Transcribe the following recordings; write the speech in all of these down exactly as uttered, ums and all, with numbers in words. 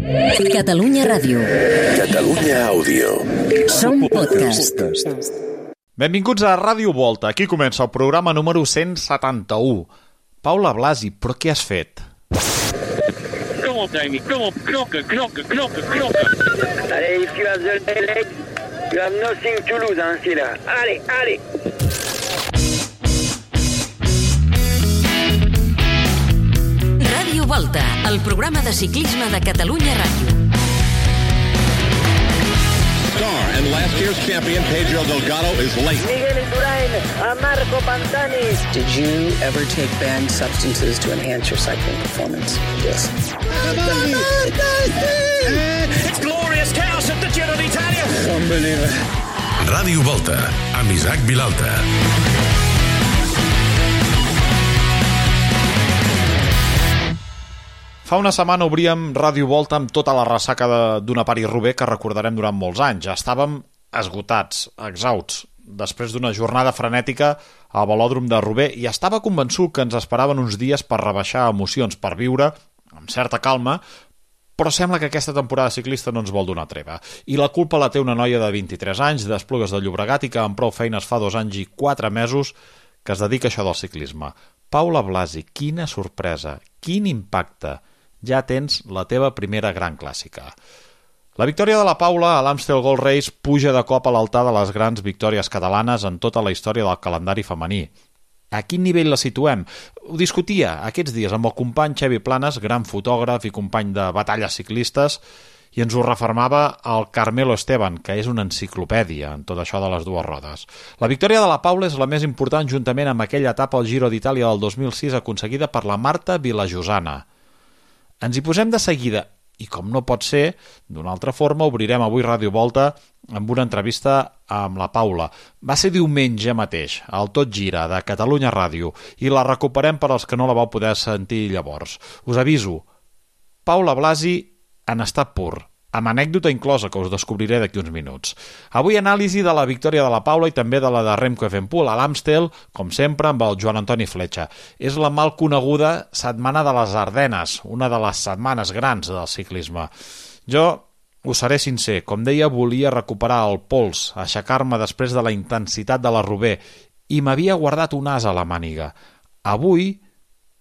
Catalunya Ràdio. Catalunya Àudio. Som podcast. Benvinguts a Ràdio Volta. Aquí comença el programa número cent setanta-u. Paula Blasi, però què has fet? Kom op, Davy. Kom op, knokken, knokken, knokken, knokken. Allez, if you have the leg, you have nothing to lose, hein, c'est là. Allez, allez. Ràdio Volta, el programa de ciclisme de Catalunya Ràdio. Star and last year's champion Pedro Delgado is late. Miguel Indurain, a Marco Pantani. Did you ever take banned substances to enhance your cycling performance? Yes. It's glorious chaos at the Giro d'Italia. Unbelievable. Ràdio Volta, amb Isaac Vilalta. Fa una setmana obríem Ràdio Volta amb tota la ressaca d'una París-Roubaix que recordarem durant molts anys. Ja estàvem esgotats, exhausts, després d'una jornada frenètica al velòdrom de Roubaix, i estava convençut que ens esperaven uns dies per rebaixar emocions, per viure amb certa calma, però sembla que aquesta temporada ciclista no ens vol donar treva. I la culpa la té una noia de vint-i-tres anys, d'Esplugues de Llobregat, i que amb prou feines fa dos anys i quatre mesos que es dedica a això del ciclisme. Paula Blasi, quina sorpresa, quin impacte! Ja tens la teva primera gran clàssica. La victòria de la Paula a l'Amstel Gold Race puja de cop a l'altar de les grans victòries catalanes en tota la història del calendari femení. A quin nivell la situem? Ho discutia aquests dies amb el company Xevi Planes, gran fotògraf i company de batalles ciclistes, i ens ho refermava el Carmelo Esteban, que és una enciclopèdia en tot això de les dues rodes. La victòria de la Paula és la més important juntament amb aquella etapa al Giro d'Itàlia del dos mil sis aconseguida per la Marta Vilajosana. Ens hi posem de seguida i, com no pot ser, d'una altra forma, obrirem avui Ràdio Volta amb una entrevista amb la Paula. Va ser diumenge mateix, al Tot Gira de Catalunya Ràdio, i la recuperem per als que no la vau poder sentir llavors. Us aviso, Paula Blasi en estat pur, amb anècdota inclosa que us descobriré d'aquí uns minuts. Avui anàlisi de la victòria de la Paula i també de la de Remco Evenepoel a l'Amstel, com sempre amb el Joan Antoni Fletxa. És la mal coneguda Setmana de les Ardenes, una de les setmanes grans del ciclisme. Jo us seré sincer, com deia, volia recuperar el pols, aixecar-me després de la intensitat de la Roubaix, i m'havia guardat un as a la màniga. Avui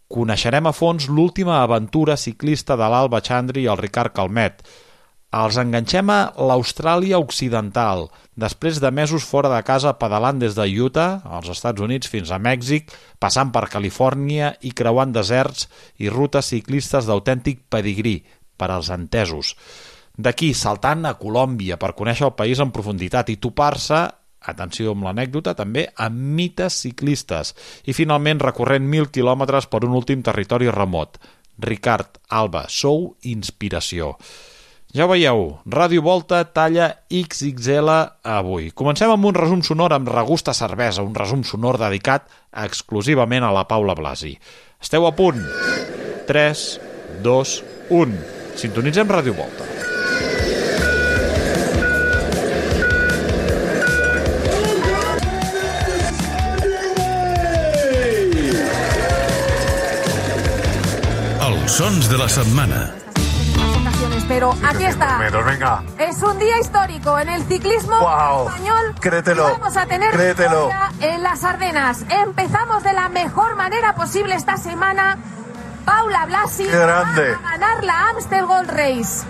coneixerem a fons l'última aventura ciclista de l'Alba Chandri i el Ricard Calmet. Els enganxem a l'Austràlia Occidental, després de mesos fora de casa pedalant des de Utah, als Estats Units, fins a Mèxic, passant per Califòrnia i creuant deserts i rutes ciclistes d'autèntic pedigrí, per als entesos. D'aquí, saltant a Colòmbia per conèixer el país en profunditat i topar-se, atenció amb l'anècdota, també amb mites ciclistes. I finalment recorrent mil quilòmetres per un últim territori remot. Ricard, Alba, sou inspiració. Ja ho veieu, Ràdio Volta talla X X L avui. Comencem amb un resum sonor amb regust a cervesa, un resum sonor dedicat exclusivament a la Paula Blasi. Esteu a punt? tres, dos, u. Sintonitzem Ràdio Volta. Els sons de la setmana. Pero aquí está. Pero venga. Es un día histórico en el ciclismo wow. español. Créetelo. Vamos a tener Créetelo. en las Ardenas. Empezamos de la mejor manera posible esta semana. Paula Blasi Grande. va a ganar la Amstel Gold Race.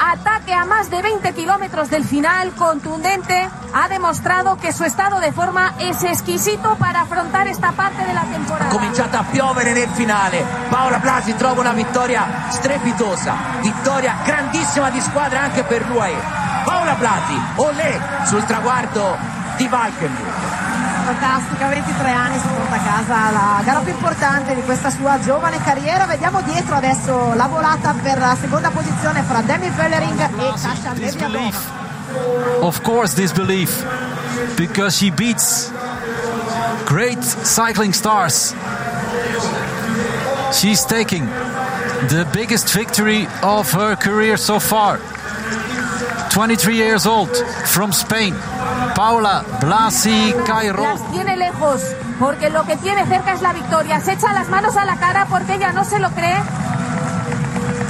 Ataque a más de veinte kilómetros del final, contundente, ha demostrato che suo stato di forma è esquisito para affrontare esta parte della temporada. Ha cominciato a piovere nel finale. Paula Blasi trova una vittoria strepitosa, vittoria grandissima di squadra anche per l'U A E. Paula Blasi, olè sul traguardo di Valkenburg. Fantastica, ventitré anni, si porta a casa la gara più importante di questa sua giovane carriera. Vediamo dietro adesso la volata per la seconda posizione fra Demi Vollering e Kasia Leviatova. Of course this belief, because she beats great cycling stars. She's taking the biggest victory of her career so far. twenty-three years old, from Spain, Paula Blasi Cairó. Las tiene lejos, porque lo que tiene cerca es la victoria. Se echa las manos a la cara porque ella no se lo cree.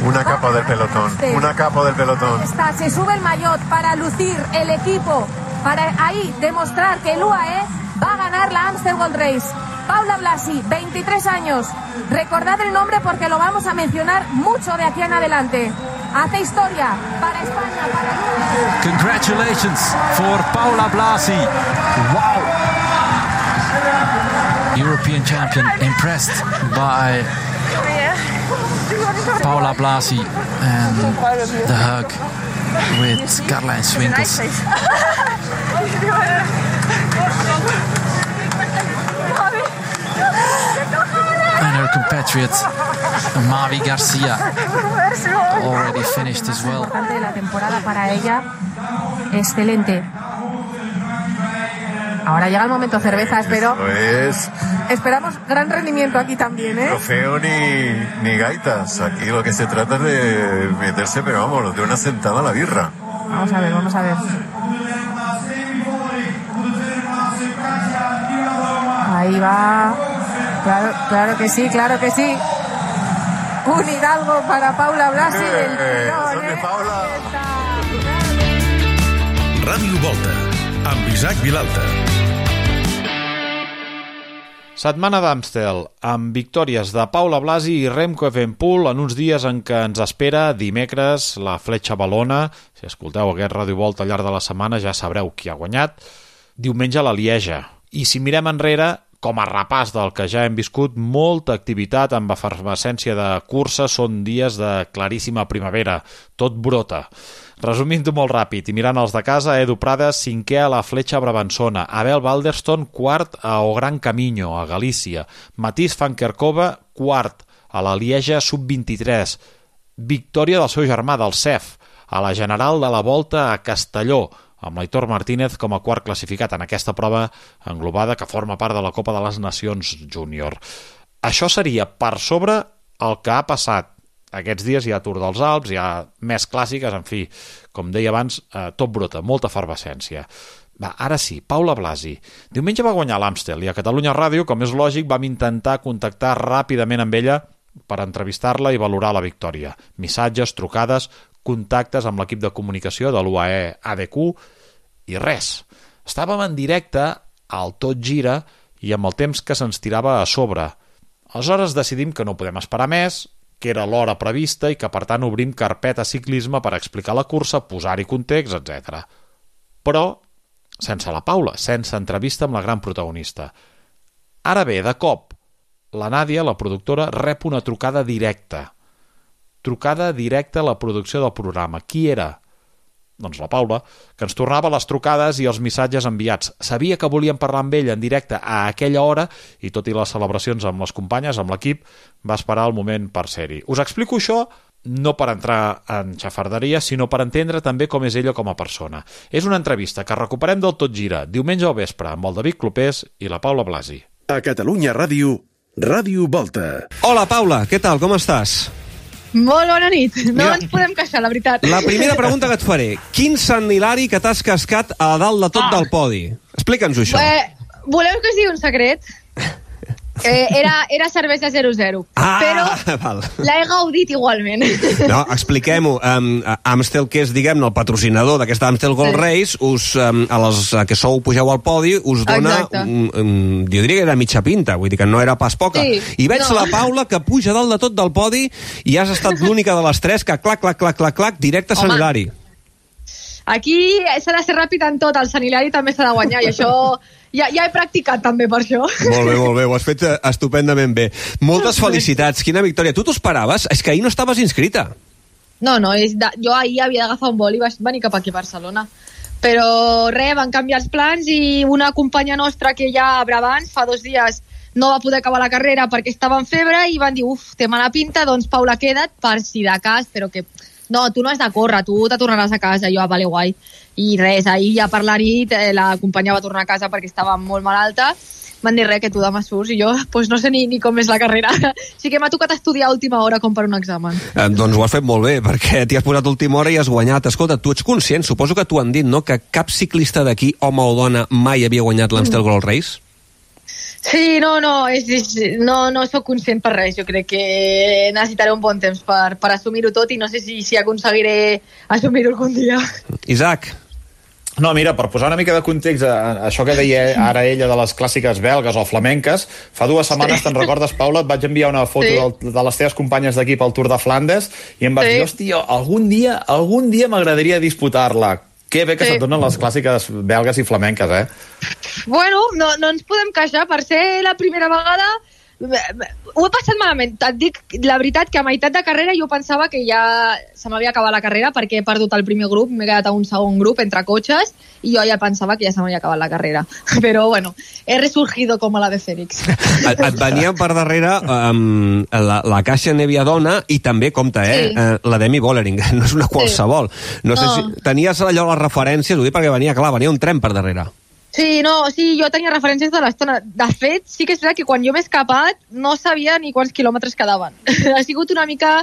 Una capa del pelotón, una capa del pelotón. Está, se sube el maillot para lucir el equipo, para ahí demostrar que el U A E va a ganar la Amstel Gold Race. Paula Blasi, veintitrés años. Recordad el nombre porque lo vamos a mencionar mucho de aquí en adelante. Hace historia para España, para el U A E. Congratulations for Paula Blasi. Wow. European champion, impressed by Paula Blasi and the hug with Karl-Heinz Swinkels. And her compatriot Mavi Garcia already finished as well. La temporada para ella, excelente. Ahora llega el momento cerveza, espero. Es... Esperamos gran rendimiento aquí también, ¿eh? Trofeo ni, ni gaitas. Aquí lo que se trata es de meterse, pero vamos, de una sentada a la birra. Vamos a ver, vamos a ver. Ahí va. Claro, claro que sí, claro que sí. Un Hidalgo para Paula Blasi del tirón, ¿eh? Paula. Ràdio Volta, amb Isaac Vilalta. Setmana d'Amstel, amb victòries de Paula Blasi i Remco Evenepoel en uns dies en què ens espera dimecres la Fletxa Valona. Si escolteu aquest Ràdio Volta al llarg de la setmana ja sabreu qui ha guanyat. Diumenge la Lieja. I si mirem enrere, com a repàs del que ja hem viscut, molta activitat amb efervescència de cursa, són dies de claríssima primavera, tot brota. Resumint-ho molt ràpid i mirant els de casa, Edu Prades, cinquè a la Fletxa Brabançona, Abel Balderston, quart a O Gran Camino, a Galícia, Matís van Kerkhove, quart a la Lieja sub vint-i-tres, victòria del seu germà, del C E F, a la General de la Volta a Castelló, amb l'Aitor Martínez com a quart classificat en aquesta prova englobada que forma part de la Copa de les Nacions Júnior. Això seria per sobre el que ha passat. Aquests dies hi ha Tour dels Alps, hi ha més clàssiques, en fi, com deia abans, eh, tot brota, molta efervescència. Va, ara sí, Paula Blasi. Diumenge va guanyar l'Amstel i a Catalunya Ràdio, com és lògic, vam intentar contactar ràpidament amb ella per entrevistar-la i valorar la victòria. Missatges, trucades, contactes amb l'equip de comunicació de l'U A E A D Q i res. Estàvem en directe al Tot Gira i amb el temps que se'ns tirava a sobre. Aleshores decidim que no podem esperar més, que era l'hora prevista i que per tant obrim carpeta ciclisme per explicar la cursa, posar-hi context, etcètera. Però sense la Paula, sense entrevista amb la gran protagonista. Ara bé, de cop, la Nàdia, la productora, rep una trucada directa. Trucada directa a la producció del programa. Qui era? Doncs la Paula, que ens tornava les trucades i els missatges enviats. Sabia que volíem parlar amb ell en directe a aquella hora i, tot i les celebracions amb les companyes, amb l'equip, va esperar el moment per ser-hi. Us explico això no per entrar en xafarderia, sinó per entendre també com és ella com a persona. És una entrevista que recuperem del Tot Gira, diumenge al vespre, amb el David Clopés i la Paula Blasi. A Catalunya Ràdio, Ràdio Volta. Hola, Paula, què tal, com estàs? Molt bona nit, no Mira, ens podem queixar, la veritat. La primera pregunta que et faré, quin Sant Hilari que t'has cascat a dalt de tot ah. del podi? Explica'ns això. Eh, voleu que sigui un secret? Eh, era, era cervesa zero zero, ah, però val. l'he gaudit igualment. No, expliquem-ho. Um, Amstel, que és, diguem-ne, el patrocinador d'aquesta Amstel Gold Race, us, um, a les que sou pugeu al podi, us dona, un, un, jo diria que era mitja pinta, vull dir que no era pas poca. Sí, I veig no. la Paula que puja dalt de tot del podi i has estat l'única de les tres que clac, clac, clac, clac, clac, directe a Sant Hilari. Aquí s'ha de ser ràpid en tot, el Sant Hilari també s'ha de guanyar, i això ja, ja he practicat també per això. Molt bé, molt bé, ho has fet estupendament bé. Moltes felicitats, quina victòria. Tu t'ho esperaves? És que ahir no estaves inscrita. No, no, és de, jo ahir havia d'agafar un vol i vaig venir cap aquí a Barcelona. Però res, van canviar els plans i una companya nostra que ja abans, fa dos dies, no va poder acabar la carrera perquè estava en febre i van dir, uf, té mala pinta, doncs Paula, queda't per si de cas, però que... No, tu no has de córrer, tu te tornaràs a casa. Jo, ah, vale, guai. I res, ahir ja per la nit la companya va tornar a casa perquè estava molt malalta. Van dir res, que tu demà surts. I jo, pues no sé ni, ni com és la carrera. Així que m'ha tocat estudiar a última hora com per un examen. Eh, doncs ho has fet molt bé, perquè t'hi has posat a última hora i has guanyat. Escolta, tu ets conscient, suposo que t'ho han dit, no?, que cap ciclista d'aquí, home o dona, mai havia guanyat l'Amstel Gold Race? Sí, no, no, és, és, no, no sóc conscient per res. Jo crec que necessitaré un bon temps per, per assumir-ho tot i no sé si, si aconseguiré assumir-ho algun dia. Isaac? No, mira, per posar una mica de context a això que deia ara ella de les clàssiques belgues o flamenques, fa dues setmanes, sí. Te'n recordes, Paula, et vaig enviar una foto sí. del, de les teves companyes d'equip al Tour de Flandes i em vas sí. dir, hòstia, algun dia, algun dia m'agradaria disputar-la. Que bé que sí. se't donen les clàssiques belgues i flamenques, eh? Bueno, no, no ens podem queixar. Per ser la primera vegada ho he passat malament. Et dic la veritat que a meitat de carrera jo pensava que ja se m'havia acabat la carrera perquè he perdut el primer grup, m'he quedat a un segon grup entre cotxes i jo ja pensava que ja se m'havia acabat la carrera. Però bueno, he resurgido com a la de Fènix. Et, et venia per darrere um, la, la Caixa Neviadona i també, compte, eh, sí. uh, la Demi Vollering, no és una qualsevol. No, no sé si tenies allò les referències, ho dic perquè venia, clar, venia un tren per darrere. Sí, no, sí, jo tenia referències de l'estona. De fet, sí que és veritat que quan jo m'he escapat no sabia ni quants quilòmetres quedaven. Ha sigut una mica...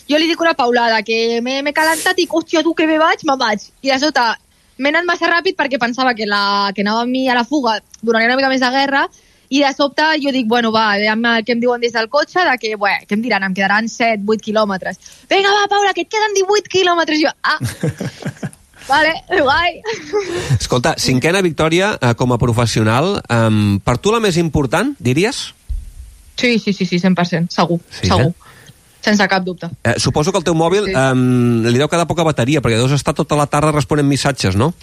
Jo li dic una paulada, que m'he calentat i, hòstia, tu que me vaig, me'n vaig. I de sota m'he anat massa ràpid perquè pensava que, la, que anava amb mi a la fuga donaria una mica més de guerra i de sobte jo dic, bueno, va, veiem què em diuen des del cotxe, de que, bé, què em diran? Em quedaran set, vuit quilòmetres. Vinga, va, Paula, que et queden divuit quilòmetres. Jo, ah... Vale, guai. Escolta, cinquena victòria eh, com a professional. Um, per tu la més important, diries? Sí, sí, sí, sí, cent per cent, segur, sí, segur. Eh? Sense cap dubte. Eh, suposo que el teu mòbil sí. um, li deu quedar poca bateria, perquè deus estar tota la tarda responent missatges, no?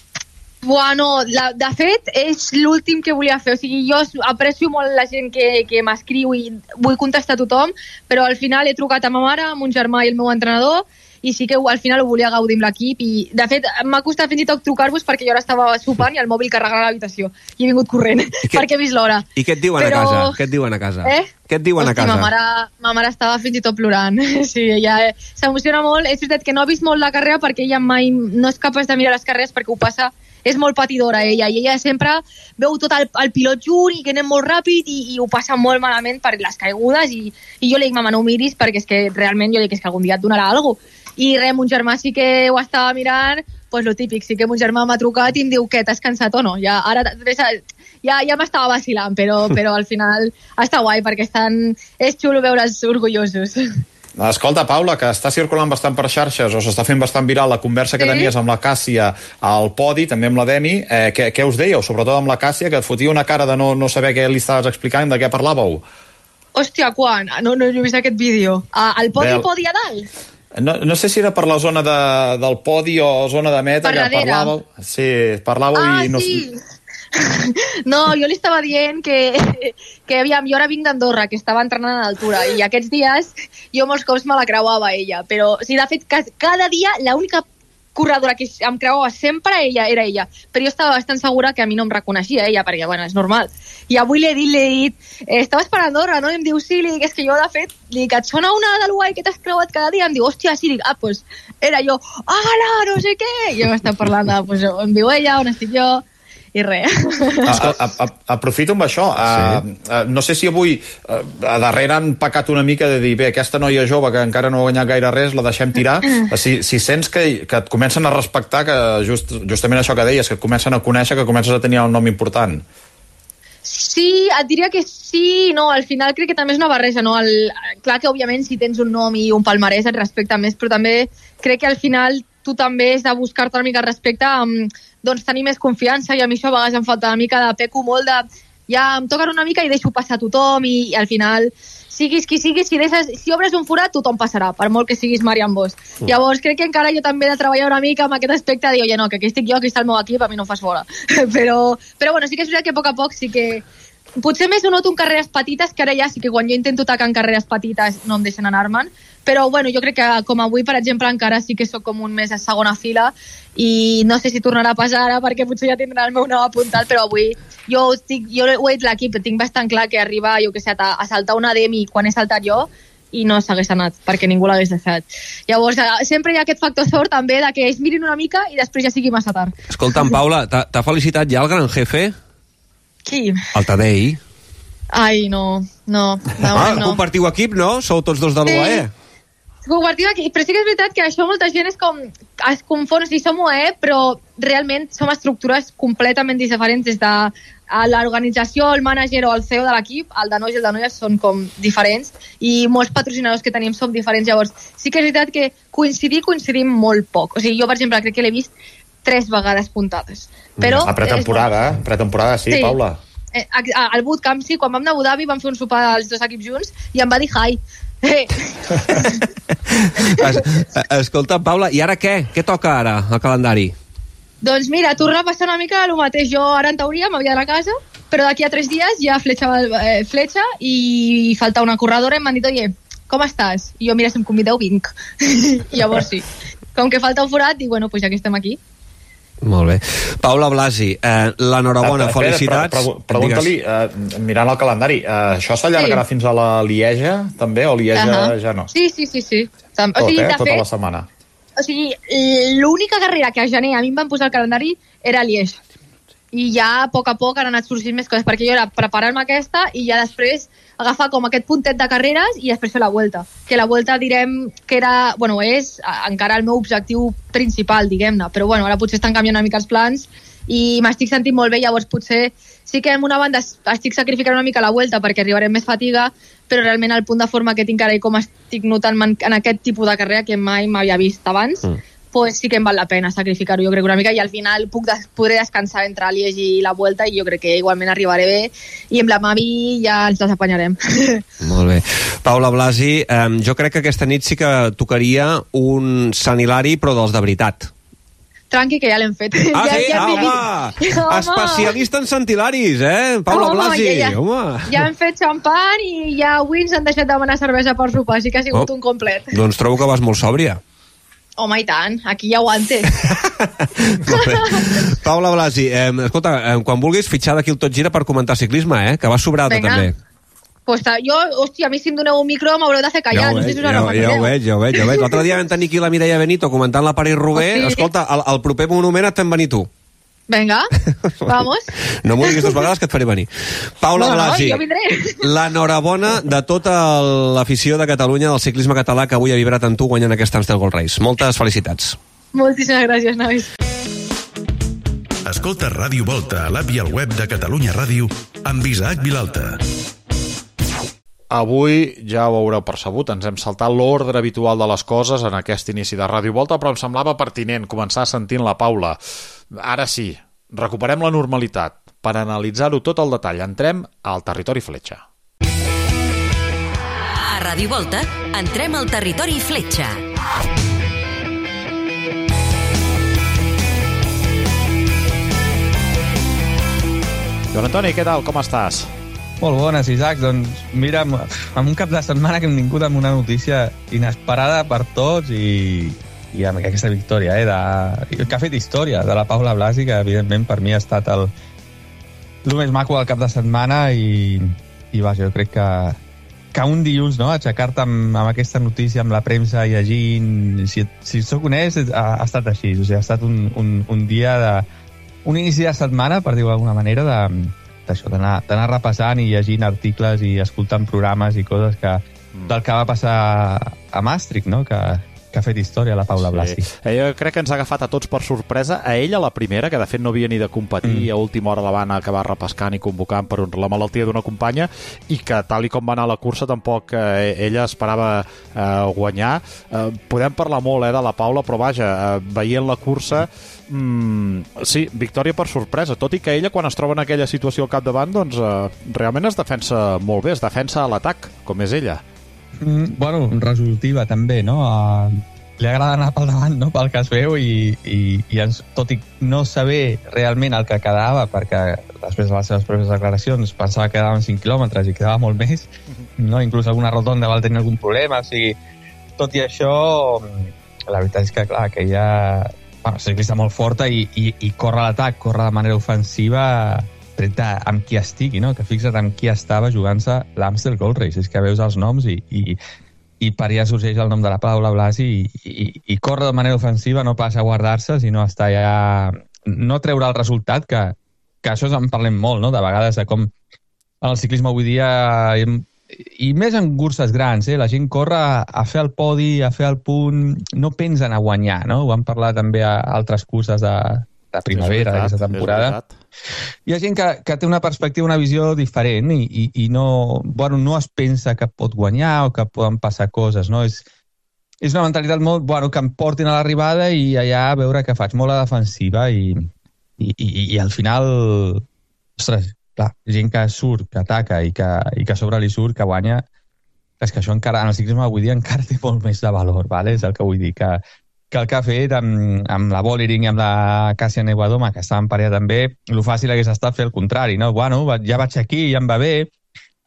Bueno, la, de fet, és l'últim que volia fer. O sigui, jo aprecio molt la gent que, que m'escriu i vull contestar a tothom, però al final he trucat a ma mare, a mon germà i el meu entrenador, i sí que al final ho volia gaudir amb l'equip i de fet m'ha costat fins i tot trucar-vos perquè jo ara estava sopant i el mòbil carregant a l'habitació i he vingut corrent que, perquè he vist l'hora. I què et diuen Però... a casa? Què et diuen a casa? Eh? Què et diuen Hosti, a casa? Ma mare, ma mare estava fins i tot plorant. Sí, ella eh, s'emociona molt. És veritat que no ha vist molt la carrera perquè ella mai no és capaç de mirar les carreres perquè ho passa, és molt patidora ella i ella sempre veu tot el, el pilot junt i que anem molt ràpid i, i ho passa molt malament per les caigudes i, i jo li dic, mama, no ho miris perquè és que realment jo dic és que algun dia et donarà alguna cosa. I res, mon germà sí que ho estava mirant, pues lo típic, sí que mon germà m'ha trucat i em diu que t'has cansat o no. Ja, ara ja, ja m'estava vacilant, però, però al final està guai perquè estan, és xulo veure'ls orgullosos. Escolta, Paula, que està circulant bastant per xarxes o s'està fent bastant viral la conversa que sí. tenies amb la Càssia al podi, també amb la Demi. Eh, què, què us dèieu? Sobretot amb la Càssia, que et fotia una cara de no, no saber què li estaves explicant, de què parlàveu? Hòstia, quan? No, no he vist aquest vídeo. Ah, al podi, Bé, podi a dalt? No, no sé si era per la zona de, del podi o zona de meta, per que darrere. parlàveu. Sí, parlàveu ah, i no... Sí. No, jo li estava dient que, que aviam, jo ara vinc d'Andorra, que estava entrenant a l'altura, i aquests dies jo molts cops me la creuava ella, però o sigui, de fet, cada dia l'única corredora que em creuava sempre ella era ella, però jo estava bastant segura que a mi no em reconeixia ella, perquè, bueno, és normal. I avui l'he dit, l'he dit, eh, estaves per Andorra, no? I em diu, sí, li dic, és que jo, de fet, li dic, et sona una del guai que t'has creuat cada dia? Em diu, hòstia, sí, dic, ah, doncs, era jo, ala, no sé què, i jo m'estava parlant de, doncs, on viu ella, on estic jo, i res. A, a, a, aprofito amb això. Sí. Uh, uh, no sé si avui uh, a darrere han pecat una mica de dir, bé, aquesta noia jove que encara no ha guanyat gaire res, la deixem tirar. Si, si sents que, que et comencen a respectar, que just, justament això que deies, que et comencen a conèixer, que comences a tenir un nom important. Sí, et diria que sí, no, al final crec que també és una barreja, no? El, clar que òbviament si tens un nom i un palmarès et respecta més, però també crec que al final tu també has de buscar-te una mica respecte amb, doncs, tenir més confiança, i a mi això a vegades em falta una mica de peco molt de, ja em toquen una mica i deixo passar tothom, i, i al final siguis qui siguis, si, deixes, si obres un forat tothom passarà, per molt que siguis Marian Bosch. Mm. Llavors crec que encara jo també he de treballar una mica amb aquest aspecte de dir, oye, no, que aquí estic jo, aquí està el meu equip, a mi no em fas fora. però, però bueno, sí que és veritat que a poc a poc sí que potser més ho noto en carreres petites, que ara ja sí que quan jo intento atacar en carreres petites no em deixen anar-me'n, però bueno, jo crec que com avui, per exemple, encara sí que sóc com un mes a segona fila i no sé si tornarà a passar ara perquè potser ja tindrà el meu nom apuntat, però avui jo, estic, jo ho he dit l'equip, tinc bastant clar que arriba, jo que sé, a, a saltar una Demi quan he saltat jo i no s'hagués anat, perquè ningú l'hagués deixat. Llavors, sempre hi ha aquest factor sort també de que ells mirin una mica i després ja sigui massa tard. Escolta'm, Paula, t'ha felicitat ja el gran jefe? Qui? El Tadei. Ai, no, no. Ah, no. Compartiu equip, no? Sou tots dos de l'U A E? Sí. compartim aquí, però sí que és veritat que això molta gent és com, es confon, o sigui, som U A E, però realment som estructures completament diferents des de l'organització, el manager o el C E O de l'equip, el de nois i el de noies són com diferents i molts patrocinadors que tenim som diferents, llavors sí que és veritat que coincidir, coincidim molt poc, o sigui, jo per exemple crec que l'he vist tres vegades puntades. Però a pretemporada, eh? Pretemporada, sí, sí, Paula. Eh, al bootcamp, sí, quan vam anar a Abu Dhabi vam fer un sopar els dos equips junts i em va dir hi. Eh. es, escolta, Paula, i ara què? Què toca ara, al calendari? Doncs mira, torna a passar una mica el mateix. Jo ara en teoria m'havia d'anar a casa, però d'aquí a tres dies ja fletxa, eh, fletxa i falta una corredora i m'han dit, oye, com estàs? I jo, mira, si em convideu, vinc. I llavors sí. Com que falta un forat, dic, bueno, pues ja que estem aquí. Molt bé. Paula Blasi, eh, l'enhorabona, ah, felicitats. Pre pre Pregunta-li, eh, mirant el calendari, eh, això s'allargarà sí. fins a la Lieja, també, o Lieja uh -huh. ja no? Sí, sí, sí. sí. Tot, o sigui, eh? Tota fet, la setmana. O sigui, l'única carrera que a gener a mi em van posar al calendari era Lieja. I ja a poc a poc han anat sorgint més coses, perquè jo era preparar-me aquesta i ja després agafar com aquest puntet de carreres i després fer la Vuelta. Que la Vuelta direm que era, bueno, és encara el meu objectiu principal, diguem-ne, però bueno, ara potser estan canviant una mica els plans i m'estic sentint molt bé, llavors potser sí que en una banda estic sacrificant una mica la Vuelta perquè arribaré amb més fatiga, però realment el punt de forma que tinc ara i com estic notant en aquest tipus de carrera que mai m'havia vist abans, mm. pues sí que em val la pena sacrificar-ho, jo crec una mica, i al final puc des podré descansar entre Liege i la Vuelta i jo crec que igualment arribaré bé i amb la Mavi ja ens les apanyarem. Molt bé. Paula Blasi, eh, jo crec que aquesta nit sí que tocaria un Sant Hilari, però dels de veritat. Tranqui, que ja l'hem fet. Ah, ja, sí? ja Ah, home! Especialista en Sant Hilaris, eh? Paula home, Blasi, ja, ja, home! Ja hem fet xampan i ja avui ens han deixat demanar cervesa per sopar, així que ha sigut oh, un complet. Doncs trobo que vas molt sòbria. Home, i tant, aquí ja aguante. Paula Blasi, eh, escolta, eh, quan vulguis fitxar d'aquí el Tot Gira per comentar ciclisme, eh? Que vas sobrada també. Pues jo, hòstia, a mi si em doneu un micro m'haureu de fer callar, ja no sé si us ja, ja, ja ho veig, ja ho veig, ja ho veig. L'altre dia vam tenir aquí la Mireia Benito comentant la París-Roubaix. Oh, sí. Escolta, el, el proper monument et fem venir tu. Vinga, vamos. No m'ho diguis dues vegades que et faré venir. Paula no, Blasi, no, jo vindré. L'enhorabona de tota l'afició de Catalunya del ciclisme català que avui ha vibrat amb tu guanyant aquest Amstel Gold Race. Moltes felicitats. Moltíssimes gràcies, nois. Escolta Ràdio Volta a l'app i al web de Catalunya Ràdio amb Isaac Vilalta. Avui, ja ho haureu percebut, ens hem saltat l'ordre habitual de les coses en aquest inici de Ràdio Volta, però em semblava pertinent començar sentint la Paula. Ara sí, recuperem la normalitat. Per analitzar-ho tot al detall, entrem al territori fletxa. A Ràdio Volta, entrem al territori fletxa. Joan Antoni, què tal? Com estàs? Molt bones, Isaac. Doncs mira, amb, amb un cap de setmana que hem vingut amb una notícia inesperada per tots i, i amb aquesta victòria, eh, de, que ha fet història, de la Paula Blasi, que evidentment per mi ha estat el, el més maco del cap de setmana i, i vaja, jo crec que, que un dilluns, no?, aixecar-te amb, amb aquesta notícia, amb la premsa, llegint, si, si soc honest, ha, ha estat així, o sigui, ha estat un, un, un dia de... un inici de setmana, per dir-ho d'alguna manera, de d'això, d'anar repassant i llegint articles i escoltant programes i coses que, del que va passar a Maastricht, no?, que, que ha fet història la Paula Blasi. Sí. Jo crec que ens ha agafat a tots per sorpresa, a ella la primera, que de fet no havia ni de competir, mm. a última hora la van acabar repescant i convocant per la malaltia d'una companya, i que tal i com va anar la cursa tampoc eh, ella esperava eh, guanyar. Eh, podem parlar molt eh, de la Paula, però vaja, eh, veient la cursa mm, sí, victòria per sorpresa, tot i que ella quan es troba en aquella situació al capdavant doncs eh, realment es defensa molt bé, es defensa a l'atac, com és ella. Mm, bueno, resolutiva també, no? Uh, li agrada anar pel davant, no?, pel que es veu i, i, i ens, tot i no saber realment el que quedava, perquè després de les seves pròpies declaracions pensava que quedaven cinc quilòmetres i quedava molt més, no? Inclús alguna rotonda va tenir algun problema, o sigui, tot i això la veritat és que clar, que ella bueno, és ciclista molt forta i, i, i corre a l'atac, corre de manera ofensiva tret amb qui estigui, no? Que fixa't amb qui estava jugant-se l'Amstel Gold Race, és que veus els noms i, i, i per allà sorgeix el nom de la Paula Blasi i, i, i corre de manera ofensiva, no passa a guardar-se, sinó està ja... no treure el resultat, que, que això en parlem molt, no?, de vegades, de com en el ciclisme avui dia hem, i més en curses grans, eh? La gent corre a, a fer el podi, a fer el punt, no pensen a guanyar, no? Ho vam parlar també a altres curses de, de primavera d'aquesta temporada. Hi ha gent que, que té una perspectiva, una visió diferent i, i, i no, bueno, no es pensa que pot guanyar o que poden passar coses, no? És, és una mentalitat molt, bueno, que em portin a l'arribada i allà a veure què faig, molt a defensiva i, i, i, i al final, ostres, clar, gent que surt, que ataca i que, i que a sobre li surt, que guanya, és que això encara, en el ciclisme avui dia encara té molt més de valor, vale? És el que vull dir, que, que el que ha fet amb, amb la Bollering i amb la Kasia Neuadoma, que estaven parella també, el fàcil hagués estat fer el contrari, no? Bueno, ja vaig aquí, ja em va bé,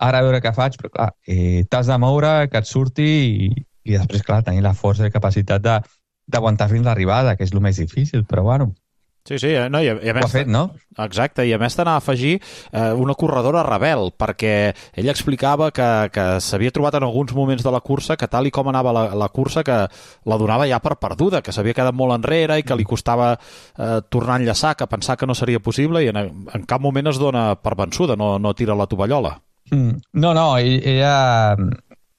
ara a veure què faig, però clar, eh, t'has de moure, que et surti i, i després, clar, tenir la força i capacitat de, d'aguantar fins l'arribada, que és el més difícil, però bueno. Sí, sí, no, i a, i a més... Ho ha fet, no? Exacte, i a més t'anava a afegir eh, una corredora rebel, perquè ell explicava que, que s'havia trobat en alguns moments de la cursa que tal i com anava la, la cursa que la donava ja per perduda, que s'havia quedat molt enrere i que li costava eh, tornar a enllaçar, que pensar que no seria possible i en, en cap moment es dona per vençuda, no, no tira la tovallola. Mm, no, no, ella...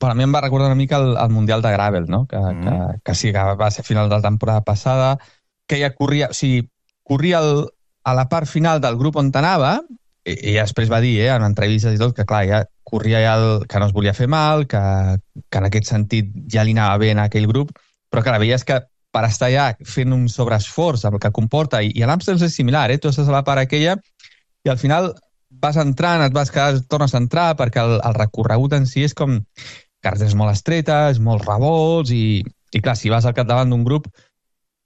Per a mi em va recordar una mica el, el Mundial de Gravel, no? Que, mm. que, que sí, que va ser a final de la temporada passada, que ella corria, o sigui, corria el, a la part final del grup on anava, i, i després va dir, eh, en entrevistes i tot, que clar, ja corria ja el, que no es volia fer mal, que, que en aquest sentit ja li anava bé en aquell grup, però que la veies que per estar ja fent un sobreesforç amb el que comporta, i, i a l'Amstel és similar, eh? Tu estàs a la part aquella i al final vas entrant, et vas quedar, tornes a entrar, perquè el, el recorregut en si és com carreteres molt estretes, molts revolts, i, i clar, si vas al capdavant d'un grup,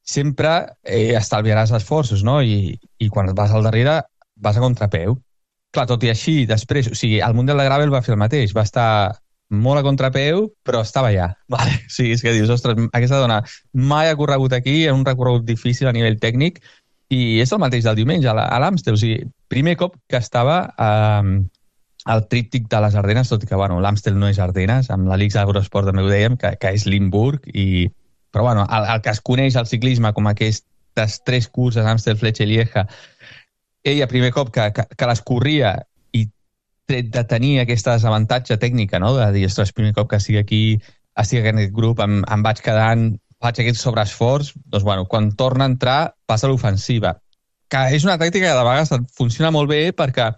sempre eh, estalviaràs esforços, no? I, I quan vas al darrere, vas a contrapeu. Clar, tot i així, després, o sigui, el Mundial de Gravel va fer el mateix, va estar molt a contrapeu, però estava allà. Vale? O sigui, és que dius, ostres, aquesta dona mai ha corregut aquí, en un recorregut difícil a nivell tècnic, i és el mateix del diumenge, a l'Amstel. O sigui, primer cop que estava... Eh, el tríptic de les Ardenes, tot i que bueno, l'Amstel no és Ardenes, amb l'Alix Agrosport també ho dèiem, que, que és Limburg, i... però bueno, el, el que es coneix al ciclisme com aquestes tres curses, Amstel, Fletcher i Lieja, ella primer cop que, que, que les corria i tret de tenir aquesta desavantatge tècnica, no? De dir, ostres, primer cop que estic aquí, estic en aquest grup, em, em vaig quedant, faig aquest sobreesforç, doncs bueno, quan torna a entrar passa a l'ofensiva, que és una tàctica que de vegades funciona molt bé perquè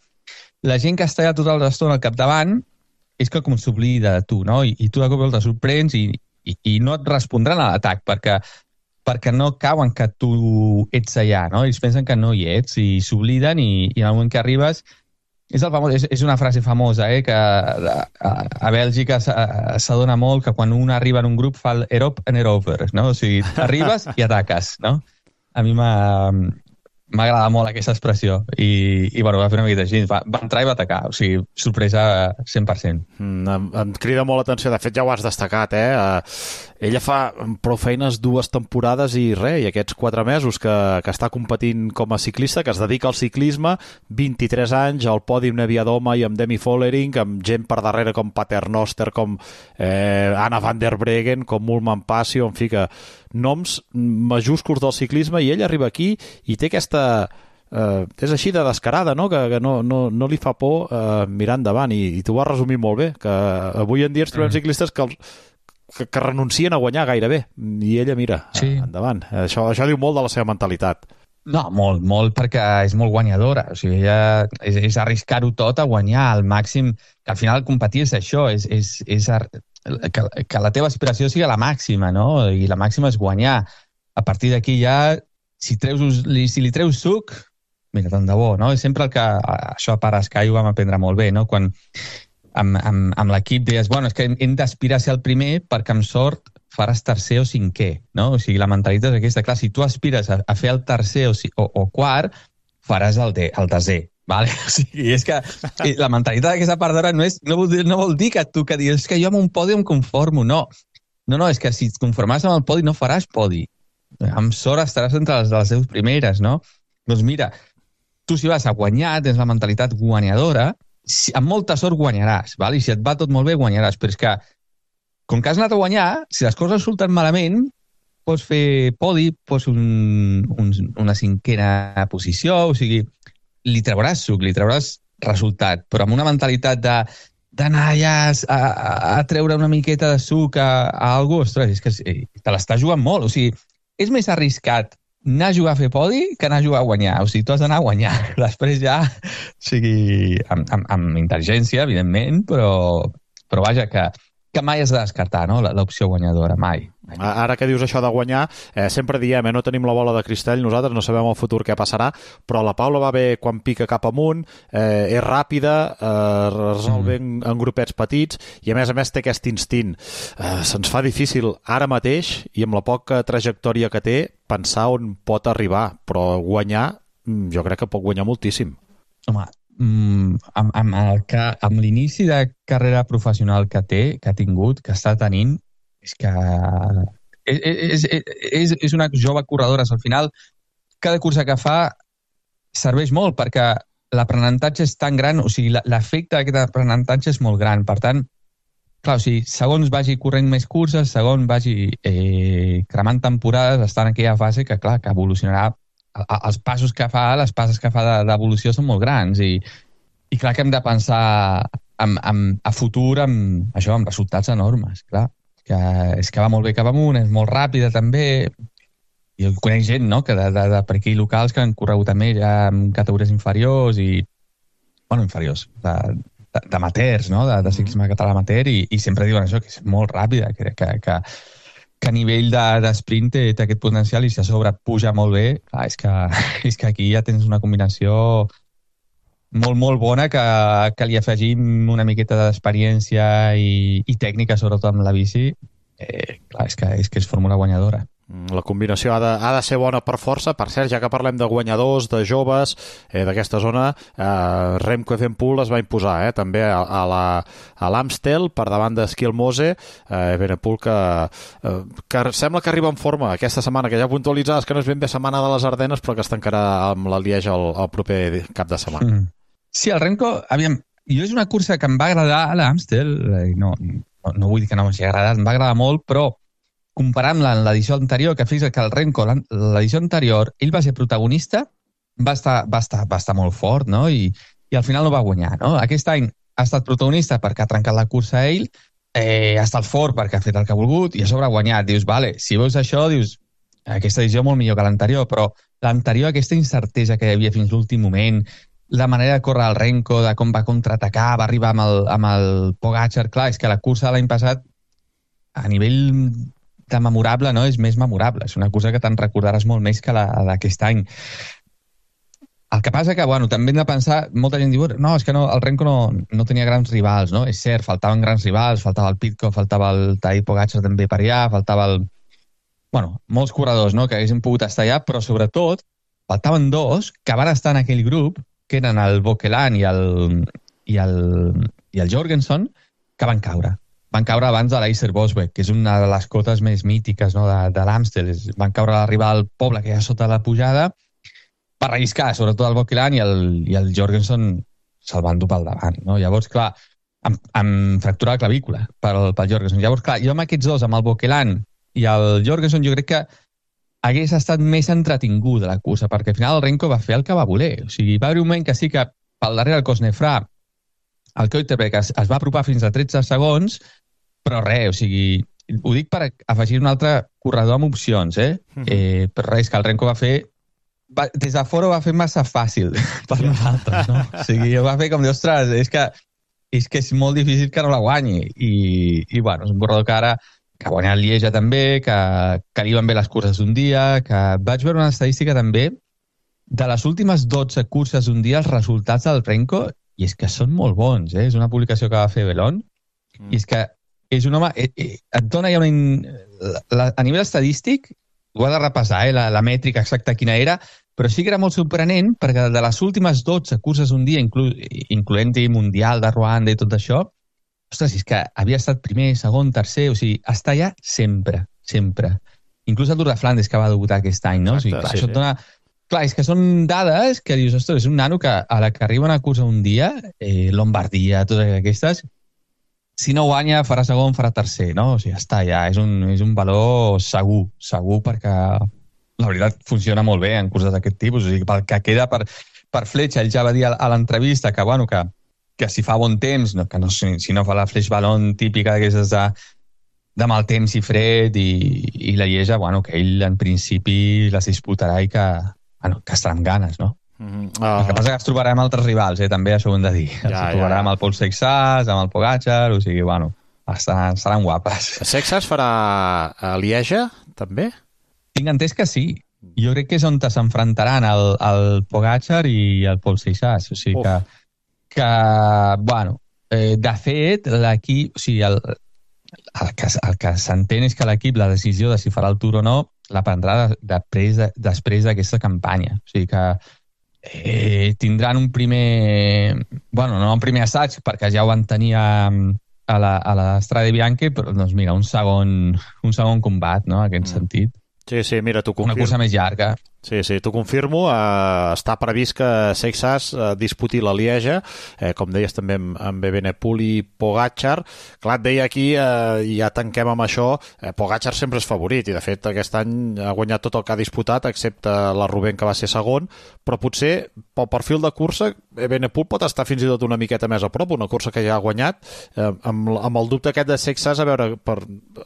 la gent que està ja tota l'estona al capdavant és que com s'oblida de tu, no? I, i tu de cop i volta sorprens i, i, i no et respondran a l'atac perquè, perquè no cauen que tu ets allà, no? Ells pensen que no hi ets i s'obliden i, i en el moment que arribes és, el famós, és, és una frase famosa, eh? Que a, a, a Bèlgica s'adona molt que quan un arriba en un grup fa el erop and erover, no? O sigui, arribes i ataques, no? A mi m'ha... M'agrada molt aquesta expressió i, i bueno, va fer una miqueta així, va, va entrar i va atacar, o sigui, sorpresa cent per cent. Mm, em, em crida molt l'atenció, de fet ja ho has destacat, eh? Uh, ella fa prou feines dues temporades i res, i aquests quatre mesos que, que està competint com a ciclista, que es dedica al ciclisme, vint-i-tres anys, al pòdium Neviadoma i amb Demi Vollering, amb gent per darrere com Paternoster, com eh, Anna van der Breggen, com Mulman Passio, en fi que noms majúsculs del ciclisme, i ell arriba aquí i té aquesta... Uh, és així de descarada, no? Que, que no, no, no li fa por uh, mirar endavant, i, i tu ho has resumit molt bé, que avui en dia ens trobem ciclistes que, els, que, que renuncien a guanyar gairebé, i ella mira, sí. uh, endavant. Això, això diu molt de la seva mentalitat. No, molt, molt, perquè és molt guanyadora. O sigui, ella és, és arriscar-ho tot a guanyar al màxim, que al final competir és això, és, és, és ar... que, que la teva aspiració sigui la màxima, no? I la màxima és guanyar. A partir d'aquí ja, si, treus, si li treus suc, mira, tant de bo, no? És sempre el que... Això a Parascai ho vam aprendre molt bé, no? Quan amb, amb, amb l'equip deies, bueno, és que hem d'aspirar a ser el primer perquè amb sort faràs tercer o cinquè, no? O sigui, la mentalitat és aquesta. Clar, si tu aspires a, a fer el tercer o, o, o quart, faràs el, de, el desè, vale? O sigui, és que la mentalitat d'aquesta part d'hora no, és, no, vol dir, no vol dir que tu que dius que jo amb un podi em conformo, no. No, no, és que si et conformes amb el podi no faràs podi. Amb sort estaràs entre les de les teves primeres, no? Doncs mira, tu si vas a guanyar, tens la mentalitat guanyadora, si, amb molta sort guanyaràs, val? I si et va tot molt bé guanyaràs, però és que com que has anat a guanyar, si les coses surten malament, pots fer podi, pots un, un, una cinquena posició, o sigui, li trauràs suc, li trauràs resultat, però amb una mentalitat de d'anar ja a, a, a treure una miqueta de suc a, a algú, ostres, és que te l'està jugant molt. O sigui, és més arriscat anar a jugar a fer podi que anar a jugar a guanyar. O sigui, tu has d'anar a guanyar. Després ja, o sigui, amb, amb, amb intel·ligència, evidentment, però, però vaja, que, que mai has de descartar, no?, l'opció guanyadora, mai. Ara que dius això de guanyar, eh, sempre diem, eh, no tenim la bola de cristall, nosaltres no sabem el futur què passarà, però la Paula va bé quan pica cap amunt, eh, és ràpida, eh, resol bé en, en grupets petits, i a més a més té aquest instint. Eh, se'ns fa difícil ara mateix, i amb la poca trajectòria que té, pensar on pot arribar, però guanyar, jo crec que pot guanyar moltíssim. Home, mm, amb, amb, el que, amb l'inici de carrera professional que té, que ha tingut, que està tenint, és que és, és, és, és una jove corredora. Al final, cada cursa que fa serveix molt perquè l'aprenentatge és tan gran, o sigui, l'efecte d'aquest aprenentatge és molt gran. Per tant, clar, o sigui, segons vagi corrent més curses, segons vagi eh, cremant temporades, està en aquella fase que, clar, que evolucionarà. Els passos que fa, les passes que fa d'evolució són molt grans i, i clar que hem de pensar en, en, a futur amb, això, amb resultats enormes, clar. Que és que va molt bé cap amunt, és molt ràpida també, i jo conec gent, no?, que de, de, de per aquí locals que han corregut amb ella en categories inferiors i, bueno, inferiors, d'amateurs, no?, de, de ciclisme català amateur, i, i sempre diuen això, que és molt ràpida, que, que, que, que a nivell d'esprint de, té, té aquest potencial i si a sobre puja molt bé, clar, és que, és que aquí ja tens una combinació molt, molt bona que, que li afegim una miqueta d'experiència i, i tècnica, sobretot amb la bici. Eh, clar, és que, és que és fórmula guanyadora. La combinació ha de, ha de ser bona per força. Per cert, ja que parlem de guanyadors, de joves, eh, d'aquesta zona, eh, Remco Evenepoel es va imposar, eh, també a, a la a l'Amstel, per davant d'Eskil Mose, eh, Evenepoel que, eh, que sembla que arriba en forma aquesta setmana, que ja puntualitzades que no és ben bé setmana de les Ardenes, però que es tancarà amb la Lieja el, el proper cap de setmana. Mm. Sí, el Remco, aviam, jo és una cursa que em va agradar a l'Amstel, no, no, no vull dir que no m'hagi agradat, em va agradar molt, però comparant-la amb l'edició anterior, que fixa't que el Remco, l'edició anterior, ell va ser protagonista, va estar, va estar, va estar molt fort, no?, I, i al final no va guanyar, no? Aquest any ha estat protagonista perquè ha trencat la cursa ell, eh, ha estat fort perquè ha fet el que ha volgut i a sobre ha guanyat. Dius, vale, si veus això, dius, aquesta edició molt millor que l'anterior, però l'anterior, aquesta incertesa que hi havia fins l'últim moment, la manera de córrer el Remco, de com va contraatacar, va arribar amb el, amb el Pogačar, clar, és que la cursa de l'any passat, a nivell de memorable, no?, és més memorable. És una cursa que te'n recordaràs molt més que la d'aquest any. El que passa que, bueno, també hem de pensar, molta gent diu, no, és que no, el Remco no, no tenia grans rivals, no? És cert, faltaven grans rivals, faltava el Pidcock, faltava el Tadej Pogačar també per allà, faltava el... Bueno, molts corredors, no?, que haguessin pogut estar allà, però sobretot faltaven dos que van estar en aquell grup, que eren el Bokelan i el, i el, i el Jorgensen, que van caure. Van caure abans de l'Eiser Bosbeck, que és una de les cotes més mítiques, no?, de, de l'Amstel. Van caure a arribar al poble, que hi ha sota la pujada, per relliscar, sobretot el Bokelan i el, i el Jorgensen se'l van dur pel davant, no? Llavors, clar, amb, amb fractura de clavícula pel, pel Jorgensen. Llavors, clar, jo amb aquests dos, amb el Bokelan i el Jorgensen, jo crec que hagués estat més entretinguda la cursa, perquè al final el Remco va fer el que va voler. O sigui, va haver un moment que sí que pel darrere el Cosnefra, el Keuterberg es, es va apropar fins a tretze segons, però res, o sigui, ho dic per afegir un altre corredor amb opcions, eh? Mm-hmm. eh però res, que el Remco va fer, va, des de fora ho va fer massa fàcil per nosaltres, no? O sigui, ho va fer com dir, ostres, és que, és que és molt difícil que no la guanyi. I, i bueno, és un corredor que ara que ha guanyat Lieja també, que, que li van bé les curses d'un dia, que vaig veure una estadística també de les últimes dotze curses d'un dia, els resultats del Remco, i és que són molt bons, eh? És una publicació que va fer Belon, mm. i és que és un home, eh, eh, et dona ja una... La, a nivell estadístic, ho ha de repassar, eh, la, la mètrica exacta quina era, però sí que era molt sorprenent, perquè de les últimes dotze curses d'un dia, inclu, incloent-hi Mundial de Ruanda i tot això, ostres, és que havia estat primer, segon, tercer, o sigui, està allà sempre, sempre. Inclús el Tour de Flandes, que va debutar aquest any, no? Exacte, o sigui, clar, sí, això et dona... Clar, és que són dades que dius, ostres, és un nano que a la que arriba una cursa un dia, eh, Lombardia, totes aquestes, si no guanya, farà segon, farà tercer, no? O sigui, està allà, és un, és un valor segur, segur, perquè la veritat funciona molt bé en curses d'aquest tipus, o sigui, pel que queda per, per Fletxa, ell ja va dir a l'entrevista que, bueno, que que si fa bon temps, no, que no, si, si no fa la flash ballon típica d'aquestes de, de mal temps i fred, i, i la Lieja, bueno, que ell en principi les disputarà i que, bueno, que estarà amb ganes, no? Mm-hmm. uh... El que passa que es trobarà amb altres rivals, eh? També això ho hem de dir. Ja, es trobarà ja, ja. amb el Paul Seixas, amb el Pogačar, o sigui, bueno, estaran, seran guapes. Seixas farà a Lieja, també? Tinc entès que sí. Jo crec que és on s'enfrontaran el, el Pogačar i el Paul Seixas, o sigui que, que bueno, eh, de fet, l'equip, o sigui, el, el que, el que s'entén és que l'equip, la decisió de si farà el Tour o no, la prendrà de, de, després d'aquesta campanya. O sigui que eh, tindran un primer... Bueno, no un primer assaig, perquè ja ho van tenir a, a la, a la Strade Bianche, però doncs mira, un segon, un segon combat, no?, en aquest mm. sentit. Sí, sí, mira, t'ho confirmo. Una cursa més llarga. Sí, sí, t'ho confirmo. Uh, està previst que Seixas uh, disputi la Lieja, eh, com deies també amb, amb Evenepoel i Pogačar. Clar, et deia aquí, uh, ja tanquem amb això, eh, Pogačar sempre és favorit, i de fet aquest any ha guanyat tot el que ha disputat, excepte la Roubaix, que va ser segon, però potser pel perfil de cursa Evenepoel pot estar fins i tot una miqueta més a prop, una cursa que ja ha guanyat, eh, amb, amb el dubte aquest de Seixas, a veure per,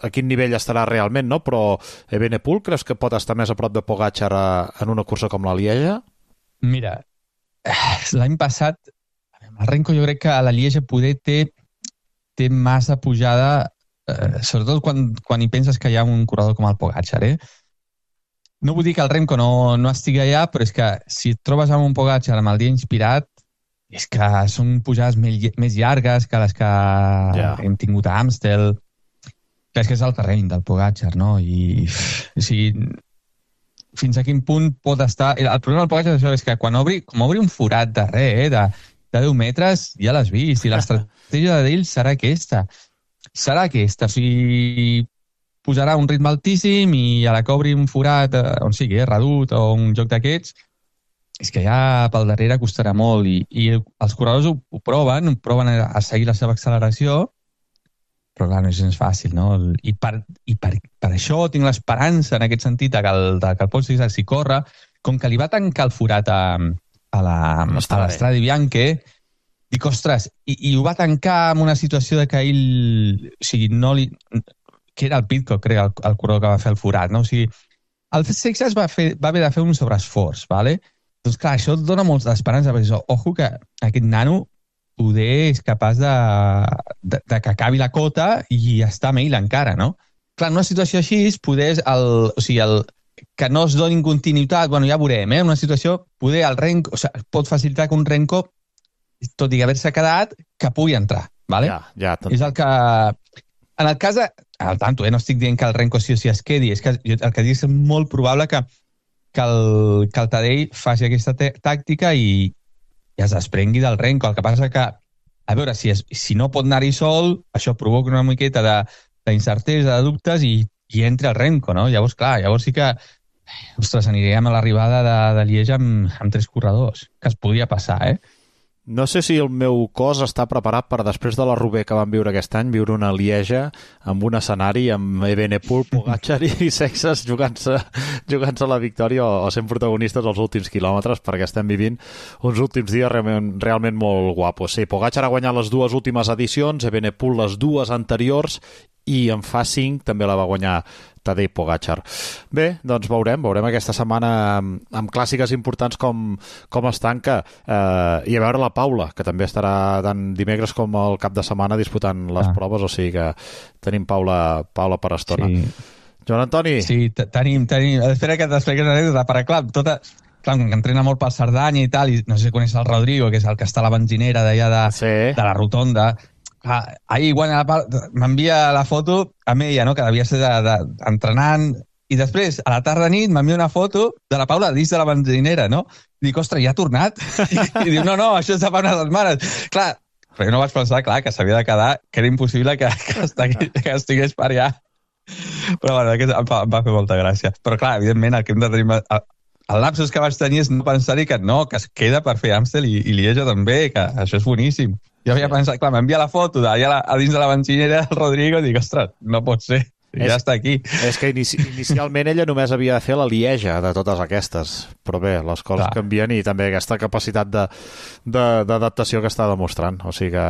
a quin nivell estarà realment, no? Però Evenepoel creus que pot estar més a prop de Pogačar a en una cursa com la Lieja? Mira, l'any passat el Renko jo crec que a la Lieja poder té, té massa pujada, eh, sobretot quan, quan hi penses que hi ha un corredor com el Pogačar, eh? No vull dir que el Renko no, no estigui allà, però és que si et trobes amb un Pogačar amb el dia inspirat, és que són pujades més, més llargues que les que yeah. hem tingut a Amstel. És que és el terreny del Pogačar, no? I o sigui, fins a quin punt pot estar... El problema del Pogačar és que quan obri, com obri un forat de res, eh, de, de deu metres, ja l'has vist, i l'estratègia d'ell serà aquesta. Serà aquesta, o sigui, posarà un ritme altíssim i a la que obri un forat, eh, on sigui, eh, redut o un joc d'aquests, és que ja pel darrere costarà molt, i, i els corredors ho, ho proven, proven a, a seguir la seva acceleració, però clar, no és gens fàcil, no? I per, i per, per això tinc l'esperança, en aquest sentit, que el, que el Paul Seixas s'hi corre, com que li va tancar el forat a, a la a l'Strade Bianche, dic, ostres, i, i ho va tancar en una situació de que ell, o sigui, no li... que era el Pidcock, crec, el, el corredor que va fer el forat, no? O sigui, el Seixas va, fer, va haver de fer un sobreesforç, ¿vale? Doncs clar, això et dona molta esperança, perquè ojo que aquest nano poder és capaç de, de, de que acabi la cota i està amb ell encara, no? Clar, en una situació així, poder el, o sigui, el, que no es doni continuïtat, bueno, ja veurem, eh? En una situació, poder el Renko, o sigui, pot facilitar que un Renko, tot i haver-se quedat, que pugui entrar, ¿vale? Ja, ja. Tot... És el que... En el cas de... Al tanto, eh? No estic dient que el Renko sí o sí es quedi, és que el que dic és molt probable que, que, el, que el Tadej faci aquesta tàctica i i es desprengui del Renko. El que passa que, a veure, si, es, si no pot anar-hi sol, això provoca una miqueta d'incertesa, de, de dubtes, i, i entra el Renko, no? Llavors, clar, llavors sí que, ostres, aniríem a l'arribada de, de Lieja amb, amb tres corredors, que es podria passar, eh? No sé si el meu cos està preparat per, després de la Roubaix que vam viure aquest any, viure una Lieja amb un escenari amb Evenepoel, Pogačar i Seixas jugant-se jugant la victòria o, o sent protagonistes als últims quilòmetres, perquè estem vivint uns últims dies realment, realment molt guapos. Sí, Pogačar ha guanyat les dues últimes edicions, Evenepoel les dues anteriors, i en fa cinc també la va guanyar Tadej Pogačar. Bé, doncs veurem, veurem aquesta setmana amb, amb clàssiques importants com, com es tanca, eh, i a veure la Paula, que també estarà tant dimecres com el cap de setmana disputant les ah. proves, o sigui que tenim Paula, Paula per estona. Sí. Joan Antoni? Sí, tenim, tenim. Espera que t'expliquis una anècdota, perquè clar, tota... Clar, que entrena molt pel Cerdanya i tal, i no sé si coneix el Rodrigo, que és el que està a la benzinera d'allà de, sí. de la rotonda. Ah, ahir, quan m'envia la foto amb ella, no?, que devia ser de, de, entrenant, i després, a la tarda nit, m'envia una foto de la Paula dins de la benzinera, no? I dic, ostres, ja ha tornat? I, i diu, no, no, això és de fa unes setmanes. Clar, però jo no vaig pensar, clar, que s'havia de quedar, que era impossible que, que, estigués, que estigués per allà. Però bueno, em va, em va fer molta gràcia. Però clar, evidentment, el que hem de tenir... El, el lapsus que vaig tenir és no pensar-hi que no, que es queda per fer Amstel i, i Lieja també, que això és boníssim. Jo havia pensat, clar, m'envia la foto d'allà a dins de la benzinera del Rodrigo i dic, ostres, no pot ser. és, ja està aquí. És que inici, inicialment ella només havia de fer la Lieja de totes aquestes, però bé, les coses Clar. canvien i també aquesta capacitat d'adaptació que està demostrant. O sigui que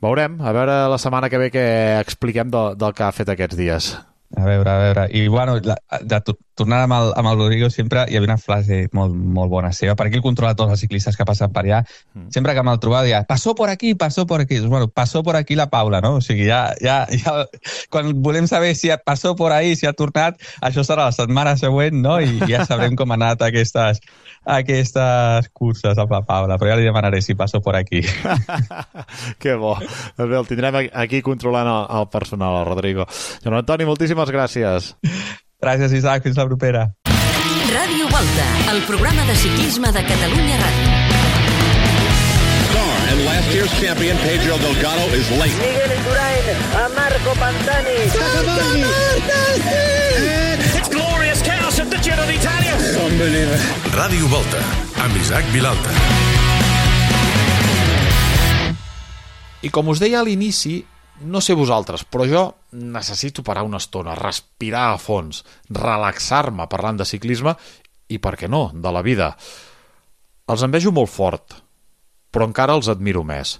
veurem, a veure la setmana que ve què expliquem del, del que ha fet aquests dies. A veure, a veure. I, bueno, la, de, tornant amb el, amb el Rodrigo, sempre hi havia una frase molt, molt bona seva. Per aquí el controla tots els ciclistes que passen per allà. Mm. Sempre que me'l trobava, deia, passó por aquí, passó por aquí. Doncs, bueno, passó por aquí la Paula, no? O sigui, ja, ja, ja quan volem saber si passó por ahí, si ha tornat, això serà la setmana següent, no? I ja sabrem com han anat aquestes, aquestes curses amb la Paula. Però ja li demanaré si passó por aquí. Que bo. Doncs bé, el tindrem aquí controlant el, el personal, el Rodrigo. Joan Antoni, moltíssimes gràcies. Gràcies, Isaac. Fins la propera. Ràdio Volta, el programa de ciclisme de Catalunya Ràdio. Car and last year's champion Pedro Delgado is late. Miguel Indurain a Marco Pantani. It's glorious chaos at the Giro d'Italia. Unbelievable. Ràdio Volta, amb Isaac Vilalta. I com us deia a l'inici, no sé vosaltres, però jo necessito parar una estona, respirar a fons, relaxar-me parlant de ciclisme i, per què no, de la vida. Els envejo molt fort, però encara els admiro més.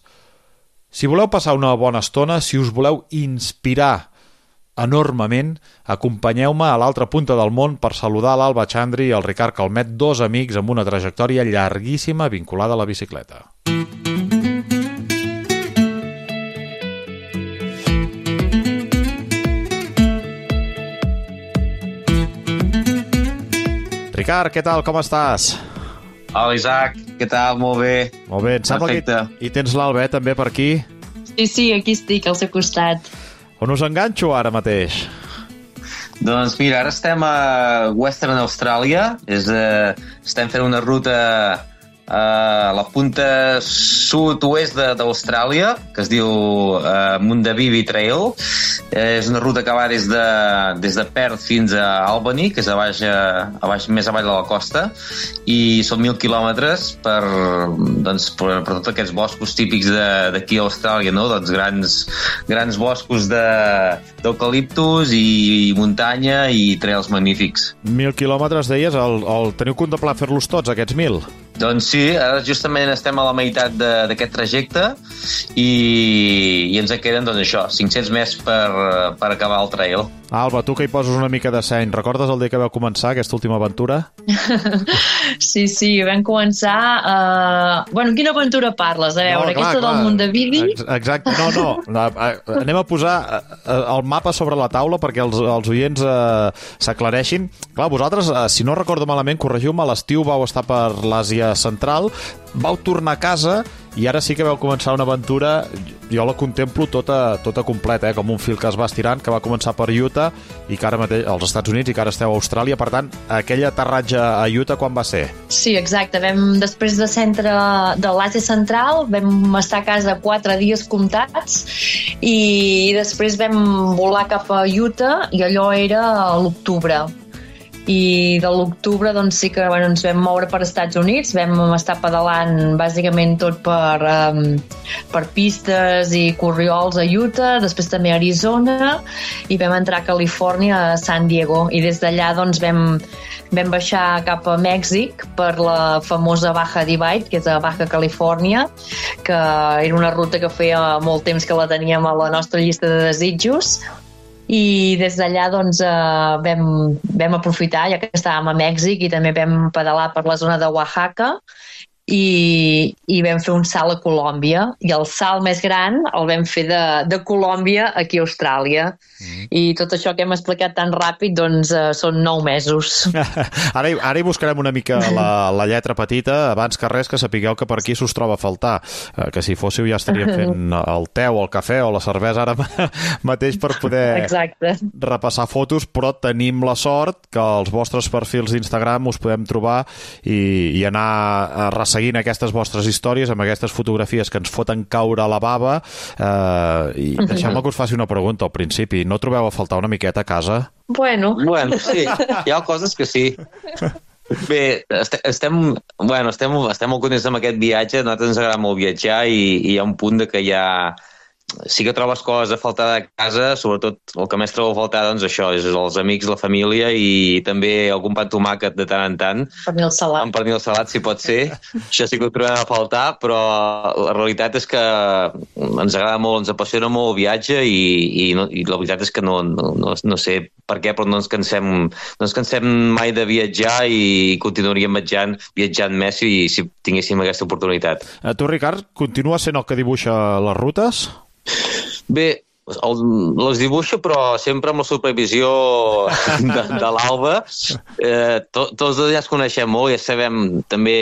Si voleu passar una bona estona, si us voleu inspirar enormement, acompanyeu-me a l'altra punta del món per saludar l'Alba Chandri i el Ricard Calmet, dos amics amb una trajectòria llarguíssima vinculada a la bicicleta. Ricard, què tal? Com estàs? Hola, Isaac. Què tal? Molt bé. Molt bé. Em sembla Perfecte. que hi tens l'Alba, eh, també, per aquí? Sí, sí, aquí estic, al seu costat. On us enganxo ara mateix? Doncs mira, ara estem a Western Austràlia. És, eh, estem fent una ruta a la punta sud-oest d'Austràlia, que es diu uh, Mundavivi Trail. Eh, és una ruta que va des de, des de Perth fins a Albany, que és a baix, a baix, més avall de la costa, i són mil quilòmetres per, doncs, per, per tots aquests boscos típics d'aquí a Austràlia, no? Doncs grans, grans boscos d'eucaliptus i muntanya i trails magnífics. Mil quilòmetres, deies? El, el teniu contemplat fer-los tots, aquests mil? Doncs sí, ara justament estem a la meitat d'aquest trajecte i, i ens en queden, doncs això, cinc-cents més per, per acabar el trail. Alba, tu que hi poses una mica de seny, recordes el dia que vau començar aquesta última aventura? Sí, sí, vam començar... Uh... Bueno, quina aventura parles? A veure, no, clar, aquesta clar. Del Mundavivi? Exacte, no, no. Anem a posar el mapa sobre la taula perquè els, els oients uh, s'aclareixin. Clar, vosaltres, uh, si no recordo malament, corregiu-me, a l'estiu vau estar per l'Àsia Central, vau tornar a casa i ara sí que vau començar una aventura, jo la contemplo tota, tota completa, eh? Com un fil que es va estirant, que va començar per Utah i que ara mateix als Estats Units i que ara esteu a Austràlia. Per tant, aquell aterratge a Utah quan va ser? Sí, exacte. Vam, després de centre de l'Àsia Central, vam estar a casa quatre dies comptats i després vam volar cap a Utah i allò era a l'octubre. I de l'octubre doncs sí que bueno, ens vam moure per Estats Units, vam estar pedalant bàsicament tot per, um, per pistes i corriols a Utah, després també a Arizona i vam entrar a Califòrnia, a San Diego, i des d'allà doncs vam, vam baixar cap a Mèxic per la famosa Baja Divide, que és a Baja Califòrnia, que era una ruta que feia molt temps que la teníem a la nostra llista de desitjos. I des d'allà doncs, eh, vam, vam aprofitar, ja que estàvem a Mèxic, i també vam pedalar per la zona de Oaxaca i, i vam fer un salt a Colòmbia, i el salt més gran el vam fer de, de Colòmbia aquí a Austràlia. Mm. I tot això que hem explicat tan ràpid doncs eh, són nou mesos. Ara, ara hi buscarem una mica la, la lletra petita, abans que res que sapigueu que per aquí s'us troba a faltar, eh, que si fóssiu ja estaríem fent el te o el cafè o la cervesa ara mateix per poder Exacte. repassar fotos, però tenim la sort que els vostres perfils d'Instagram us podem trobar i, i anar a resseguir seguint aquestes vostres històries amb aquestes fotografies que ens foten caure a la bava. Eh, i deixeu-me que us faci una pregunta al principi. No trobeu a faltar una miqueta a casa? Bueno. Bueno, sí. Hi ha coses que sí. Bé, estem, bueno, estem, estem molt contents amb aquest viatge. A nosaltres ens agrada molt viatjar i, i hi ha un punt de que ja, sí que trobes coses a faltar de casa, sobretot el que més trobo a faltar, doncs això, és els amics, la família i també algun pa amb tomàquet de tant en tant. Pernil salat. Amb pernil salat, si pot ser. Això sí que ho trobem a faltar, però la realitat és que ens agrada molt, ens apassiona molt el viatge i, i, no, i la veritat és que no, no, no, no sé per què, però no ens cansem, no ens cansem mai de viatjar i continuaríem viatjant, viatjant més si, si tinguéssim aquesta oportunitat. A tu, Ricard, continua sent el que dibuixa les rutes? Bé, el, les dibuixo, però sempre amb la supervisió de, de l'Alba. Eh, to, tots dos ja ens coneixem molt, ja sabem, també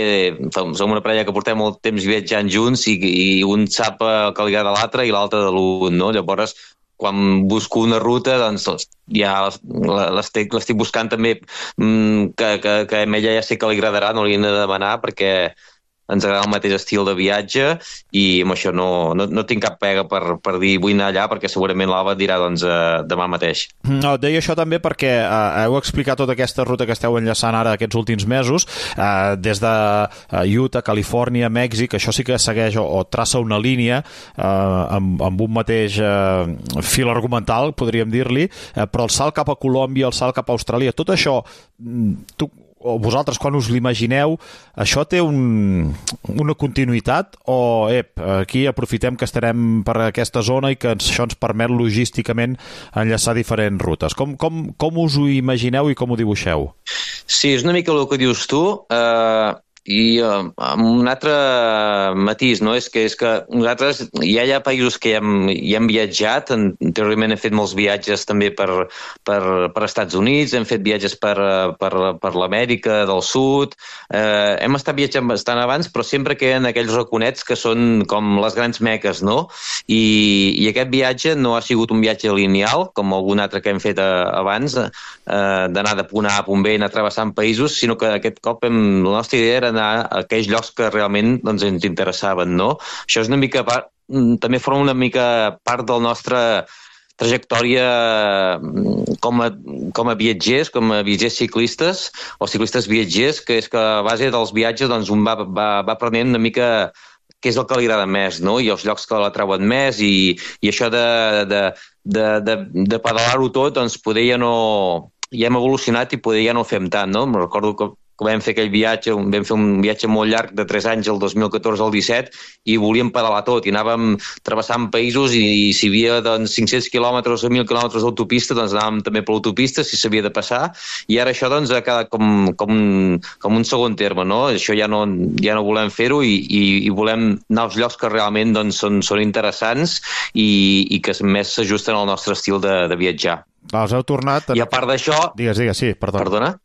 som una parella que portem molt temps viatjant junts i, i un sap que li agrada l'altre i l'altre de l'un, no? Llavors, quan busco una ruta, doncs ja l'estic, l'estic buscant també que, que, que a ella ja sé que li agradarà, no li he de demanar perquè ens agrada el mateix estil de viatge i amb això no, no, no tinc cap pega per, per dir vull anar allà perquè segurament l'Alba et dirà doncs, eh, demà mateix. No, et deia això també perquè eh, heu explicat tota aquesta ruta que esteu enllaçant ara aquests últims mesos, eh, des de Utah, Califòrnia, Mèxic, això sí que segueix o, o traça una línia eh, amb, amb un mateix eh, fil argumental, podríem dir-li, eh, però el salt cap a Colòmbia, el salt cap a Austràlia, tot això, tu o vosaltres quan us l'imagineu, això té un, una continuïtat o ep, aquí aprofitem que estarem per aquesta zona i que això ens permet logísticament enllaçar diferents rutes? Com, com, com us ho imagineu i com ho dibuixeu? Sí, és una mica el que dius tu, eh, i uh, amb un altre matís, no? És que, és que nosaltres ja hi ha països que ja hem, ja hem viatjat, anteriorment hem fet molts viatges també per, per, per Estats Units, hem fet viatges per, per, per l'Amèrica del Sud, eh, hem estat viatjant bastant abans, però sempre queden aquells raconets que són com les grans meques, no? I, i aquest viatge no ha sigut un viatge lineal, com algun altre que hem fet a, abans, eh, d'anar de punt A a punt B i anar travessant països, sinó que aquest cop hem, la nostra idea era anar a aquells llocs que realment doncs, ens interessaven, no? Això és una mica part, també forma una mica part del nostre trajectòria com a, com a viatgers, com a viatgers ciclistes o ciclistes viatgers, que és que a base dels viatges doncs, un va, va, va aprenent una mica què és el que li agrada més, no? I els llocs que la treuen més i, i això de, de, de, de, de pedalar-ho tot, doncs poder ja no... ja hem evolucionat i poder ja no ho fem tant, no? Em recordo que que vam fer aquell viatge, vam fer un viatge molt llarg de tres anys, el dos mil catorze al disset, i volíem pedalar tot, i anàvem travessant països i, i si hi havia doncs, cinc-cents quilòmetres o mil quilòmetres d'autopista, doncs anàvem també per l'autopista, si s'havia de passar, i ara això doncs, ha quedat com, com, com un segon terme, no? Això ja no, ja no volem fer-ho i, i, i volem anar als llocs que realment doncs, són, són interessants i, i que més s'ajusten al nostre estil de, de viatjar. Ah, us heu tornat... I a part d'això... Digues, digues, sí, perdona. Perdona?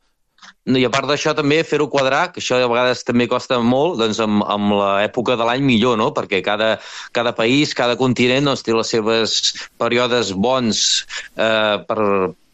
I a part d'això també fer-ho quadrar, que això a vegades també costa molt, doncs amb, amb l'època de l'any millor, no? Perquè cada, cada país, cada continent doncs, té les seves períodes bons eh, per,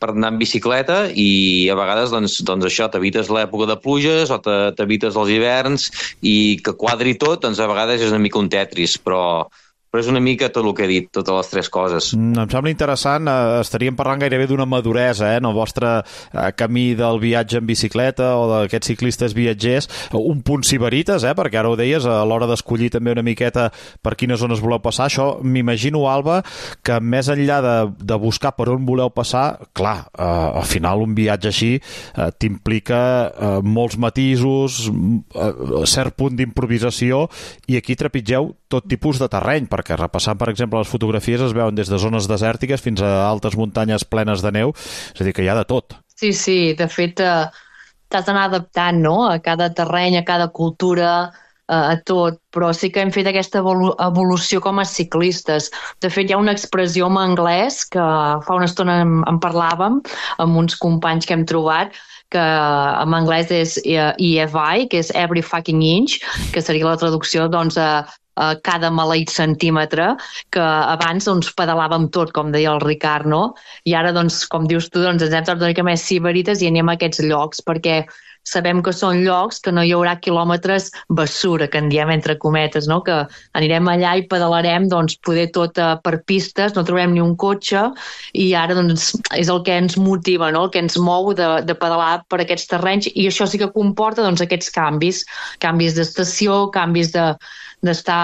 per anar en bicicleta i a vegades doncs, doncs això, t'evites l'època de pluges o t'evites els hiverns i que quadri tot, doncs a vegades és una mica un tetris, però... però és una mica tot el que he dit, totes les tres coses. Mm, em sembla interessant, eh, estaríem parlant gairebé d'una maduresa, eh, en el vostre eh, camí del viatge en bicicleta o d'aquests ciclistes viatgers, un punt sibarites, eh, perquè ara ho deies, a l'hora d'escollir també una miqueta per quines zones voleu passar, això m'imagino, Alba, que més enllà de, de buscar per on voleu passar, clar, eh, al final un viatge així eh, t'implica eh, molts matisos, eh, cert punt d'improvisació, i aquí trepitgeu tot tipus de terreny, perquè repassant, per exemple, les fotografies es veuen des de zones desèrtiques fins a altes muntanyes plenes de neu, és a dir, que hi ha de tot. Sí, sí, de fet eh, t'has d'anar adaptant, no?, a cada terreny, a cada cultura, eh, a tot, però sí que hem fet aquesta evolució com a ciclistes. De fet, hi ha una expressió en anglès que fa una estona en, en parlàvem amb uns companys que hem trobat, que en anglès és E F I, que és every fucking inch, que seria la traducció, doncs, a Uh, cada maleït centímetre, que abans doncs, pedalàvem tot, com deia el Ricard, no? I ara, doncs, com dius tu, doncs, ens hem tornat una mica més ciberites i anem a aquests llocs, perquè sabem que són llocs que no hi haurà quilòmetres bessura, que en diem entre cometes, no? Que anirem allà i pedalarem, doncs, poder tot uh, per pistes, no trobem ni un cotxe, i ara, doncs, és el que ens motiva, no? El que ens mou de, de pedalar per aquests terrenys, i això sí que comporta, doncs, aquests canvis, canvis d'estació, canvis de d'estar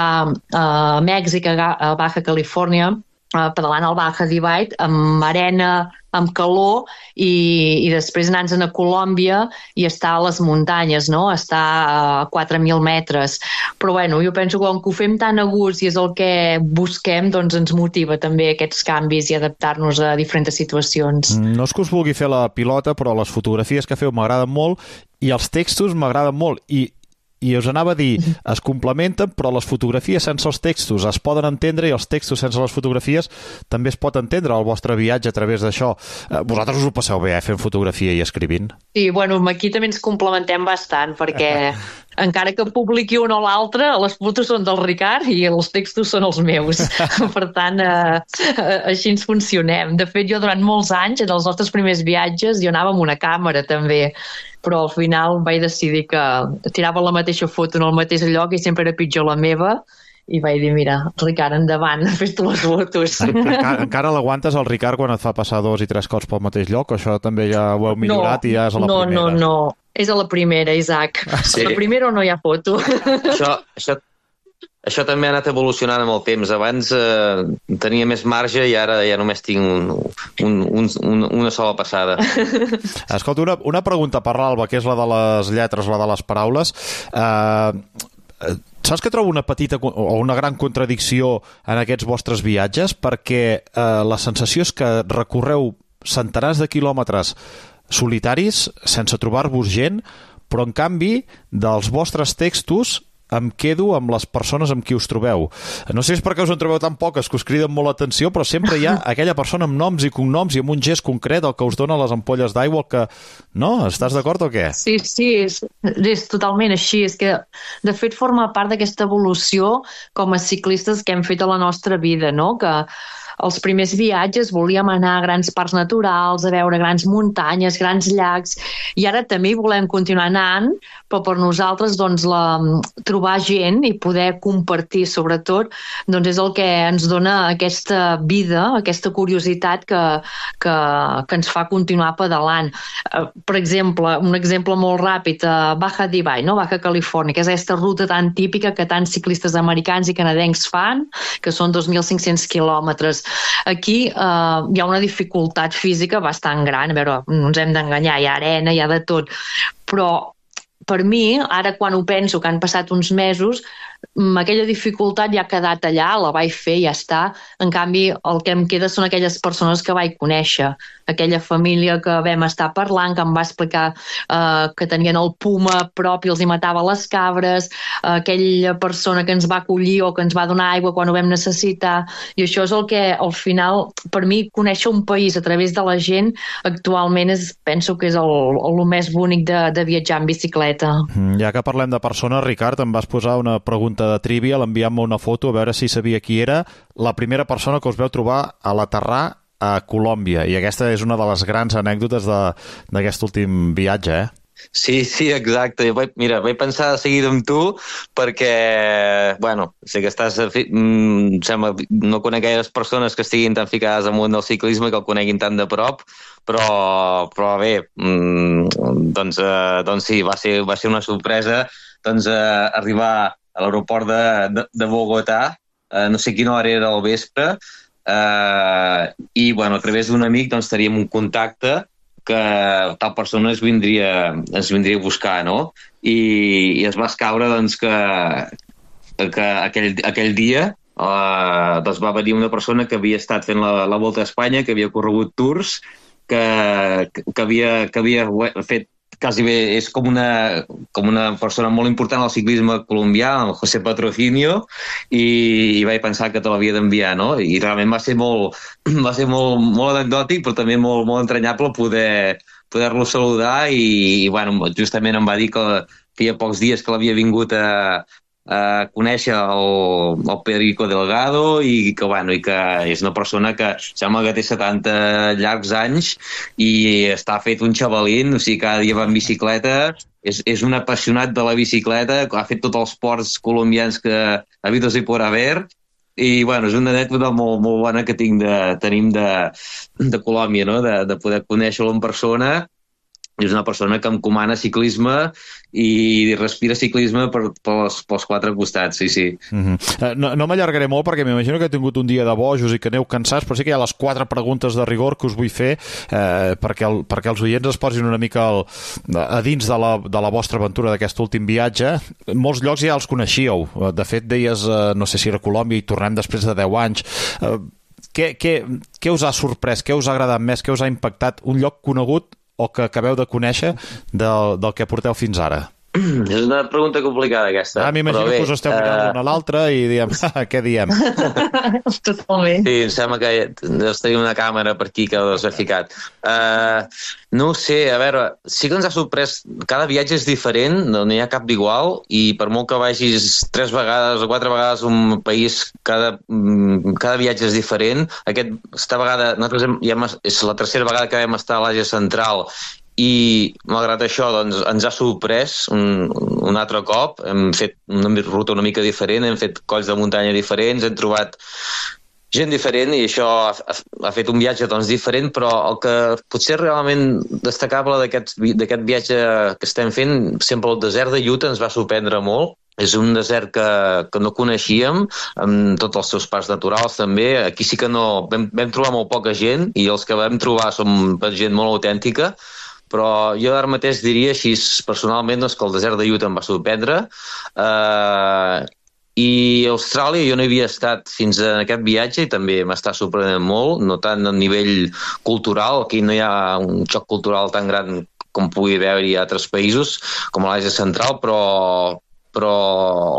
a Mèxic, a Baja Califòrnia, pedalant al Baja Divide, amb arena, amb calor, i, i després anar-nos a Colòmbia i estar a les muntanyes, no? Estar a quatre mil metres. Però bueno, jo penso que com que ho fem tan a gust i és el que busquem, doncs ens motiva també aquests canvis i adaptar-nos a diferents situacions. No és que us vulgui fer la pilota, però les fotografies que feu m'agraden molt i els textos m'agraden molt. I I us anava a dir, es complementen, però les fotografies sense els textos es poden entendre i els textos sense les fotografies també es pot entendre el vostre viatge a través d'això. Vosaltres us ho passeu bé, eh, fent fotografia i escrivint? Sí, bueno, aquí també ens complementem bastant, perquè encara que publiqui un o l'altre, les fotos són del Ricard i els textos són els meus. Per tant, eh, així ens funcionem. De fet, jo durant molts anys, en els nostres primers viatges, jo anava amb una càmera també, però al final vaig decidir que tirava la mateixa foto en el mateix lloc i sempre era pitjor la meva, i vaig dir, mira, Ricard, endavant, fes tu les fotos. Encara, encara l'aguantes el Ricard quan et fa passar dos i tres cops pel mateix lloc? O això també ja ho heu millorat no, i ja és a la no, primera? No, no, no. És a la primera, Isaac. Sí. A la primera no hi ha foto. Això, això, això també ha anat evolucionant amb el temps. Abans eh, tenia més marge i ara ja només tinc un, un, un, un, una sola passada. Escolta, una, una pregunta per l'Alba, que és la de les lletres, la de les paraules. Eh, saps que trobo una petita o una gran contradicció en aquests vostres viatges? Perquè eh, la sensació és que recorreu centenars de quilòmetres solitaris, sense trobar-vos gent, però en canvi dels vostres textos em quedo amb les persones amb qui us trobeu. No sé si és perquè us en trobeu tan poques que us criden molt l'atenció, però sempre hi ha aquella persona amb noms i cognoms i amb un gest concret el que us dona les ampolles d'aigua, el que... No? Estàs d'acord o què? Sí, sí, és, és totalment així. És que, de fet, forma part d'aquesta evolució com a ciclistes que hem fet a la nostra vida, no? Que els primers viatges volíem anar a grans parcs naturals, a veure grans muntanyes, grans llacs, i ara també hi volem continuar anant, però per nosaltres doncs, la, trobar gent i poder compartir, sobretot, doncs és el que ens dona aquesta vida, aquesta curiositat que, que, que ens fa continuar pedalant. Per exemple, un exemple molt ràpid, a Baja Divide, no? Baja Califòrnia, que és aquesta ruta tan típica que tants ciclistes americans i canadencs fan, que són dos mil cinc-cents quilòmetres. Aquí eh, hi ha una dificultat física bastant gran. A veure, no ens hem d'enganyar, hi ha arena, hi ha de tot, però per mi, ara quan ho penso, que han passat uns mesos, aquella dificultat ja ha quedat allà, la vaig fer i ja està. En canvi, el que em queda són aquelles persones que vaig conèixer, aquella família que vam estar parlant, que em va explicar eh, que tenien el puma prop i els hi matava les cabres, eh, aquella persona que ens va acollir o que ens va donar aigua quan ho vam necessitar, i això és el que, al final, per mi, conèixer un país a través de la gent, actualment és, penso que és el, el, el més bonic de, de viatjar en bicicleta. Ja que parlem de persones, Ricard, em vas posar una pregunta de trivia, l'enviant-me una foto a veure si sabia qui era la primera persona que us veu trobar a l'aterrar a Colòmbia, i aquesta és una de les grans anècdotes d'aquest últim viatge, eh? Sí, sí, exacte. Vaig, mira, vaig pensar de seguida amb tu perquè, bueno, sé que estàs... Mm, sembla, no conec gaires persones que estiguin tan ficades al món del ciclisme que el coneguin tan de prop, però, però bé, mm, doncs, eh, doncs sí, va ser, va ser una sorpresa doncs, eh, arribar a l'aeroport de, de, de Bogotà, eh, no sé quina hora era al vespre, eh, i bueno, a través d'un amic doncs, teníem un contacte que tal persona es vindria, es vindria a buscar, no? I, i es va escaure doncs, que, que aquell, aquell dia eh, doncs va venir una persona que havia estat fent la, la Volta a Espanya, que havia corregut tours, que, que, havia, que havia fet quasi bé, és com una, com una persona molt important al ciclisme colombià, el José Patrocinio, i, i vaig pensar que te l'havia d'enviar, no? I realment va ser molt, va ser molt, molt anecdòtic, però també molt, molt entranyable poder, poder-lo saludar i, i bueno, justament em va dir que feia pocs dies que l'havia vingut a, a conèixer el, el Pedrico Delgado i que, bueno, i que és una persona que sembla que té setanta llargs anys i està fet un xavalín, o sigui, cada dia va en bicicleta, és, és un apassionat de la bicicleta, ha fet tots els ports colombians que habidos y por haber, i bueno, és una anècdota molt, molt bona que tinc de, tenim de, de Colòmbia, no? de, de poder conèixer-lo en persona. és una persona que em comana ciclisme i respira ciclisme per, pels, pels quatre costats, sí, sí. Mm-hmm. No, no m'allargaré molt perquè m'imagino que he tingut un dia de bojos i que aneu cansats, però sí que hi ha les quatre preguntes de rigor que us vull fer eh, perquè, el, perquè els oients es posin una mica el, a dins de la, de la vostra aventura d'aquest últim viatge. En molts llocs ja els coneixíeu. De fet, deies, eh, no sé si era Colòmbia, i tornem després de deu anys. Eh, què, què, què us ha sorprès? Què us ha agradat més? Què us ha impactat? Un lloc conegut o que acabeu de conèixer del, del que porteu fins ara? És una pregunta complicada, aquesta. Ah, m'imagino que us esteu mirant l'un a l'altre i diem, què diem? Totalment. Sí, em sembla que deus tenir una càmera per aquí que us ha ficat. Uh, no ho sé, a veure, sí que ens ha sorprès, cada viatge és diferent, no n'hi ha cap d'igual, i per molt que vagis tres vegades o quatre vegades a un país, cada, cada viatge és diferent. Aquesta vegada, nosaltres hem, ja hem, és la tercera vegada que vam estar a l'Àsia Central, i malgrat això doncs, ens ha sorprès un, un altre cop. Hem fet una ruta una mica diferent, hem fet colls de muntanya diferents, hem trobat gent diferent i això ha, ha fet un viatge doncs, diferent, però el que potser realment destacable d'aquest viatge que estem fent, sempre el desert de Utah ens va sorprendre molt. És un desert que, que no coneixíem, amb tots els seus parcs naturals també. Aquí sí que no, vam, vam trobar molt poca gent i els que vam trobar són gent molt autèntica, però jo ara mateix diria així personalment doncs, que el desert de Utah em va sorprendre. Uh, i Austràlia jo no hi havia estat fins a aquest viatge i també m'està sorprenent molt, no tant a nivell cultural, aquí no hi ha un xoc cultural tan gran com pugui veure-hi a altres països com a l'Àsia Central, però però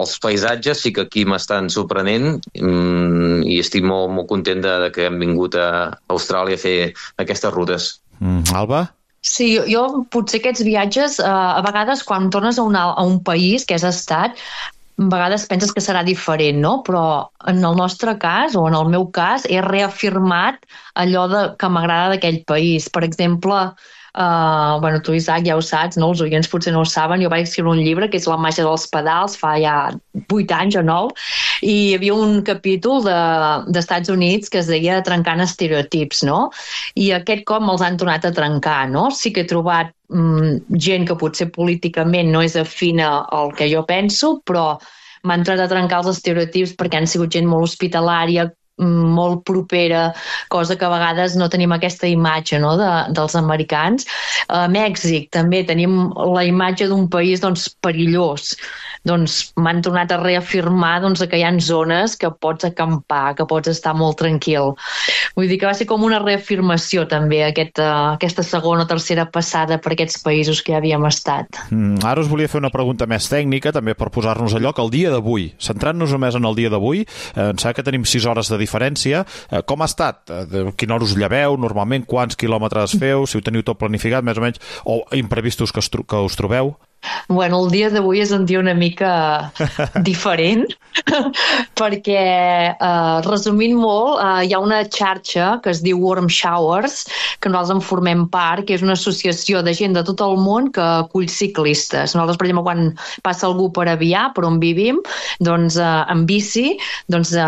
els paisatges sí que aquí m'estan sorprenent i estic molt, molt content de, de que hem vingut a Austràlia a fer aquestes rutes. Mm, Alba? Sí, jo, jo potser aquests viatges, eh, a vegades quan tornes a, una, a un país que has estat, a vegades penses que serà diferent, no? Però en el nostre cas, o en el meu cas, he reafirmat allò de, que m'agrada d'aquell país. Per exemple, Uh, bueno, tu, Isaac, ja ho saps, no? Els oients potser no ho saben, jo vaig escriure un llibre que és La màgia dels pedals, fa ja vuit anys o nou, i hi havia un capítol de, d'Estats Units que es deia Trencant estereotips, no? I aquest cop me'ls han tornat a trencar, no? Sí que he trobat mm, gent que potser políticament no és afina al que jo penso, però m'han tornat a trencar els estereotips perquè han sigut gent molt hospitalària, molt propera, cosa que a vegades no tenim aquesta imatge, no, de, dels americans. A Mèxic també tenim la imatge d'un país doncs, perillós. Doncs m'han tornat a reafirmar doncs, que hi ha zones que pots acampar, que pots estar molt tranquil. Vull dir que va ser com una reafirmació també aquesta, aquesta segona o tercera passada per aquests països que ja havíem estat. Mm, ara us volia fer una pregunta més tècnica, també per posar-nos a lloc. El dia d'avui, centrant-nos només en el dia d'avui, eh, em sembla que tenim sis hores de diferència. Eh, com ha estat? Eh, quina hora us lleveu? Normalment quants quilòmetres feu? Si ho teniu tot planificat, més o menys, o imprevistos que, tro que us trobeu? Bueno, el dia d'avui és un dia una mica diferent perquè, eh, resumint molt, eh, hi ha una xarxa que es diu Warm Showers, que nosaltres en formem part, que és una associació de gent de tot el món que acull ciclistes. Nosaltres, per exemple, quan passa algú per Avià, per on vivim, doncs eh, en bici, doncs eh,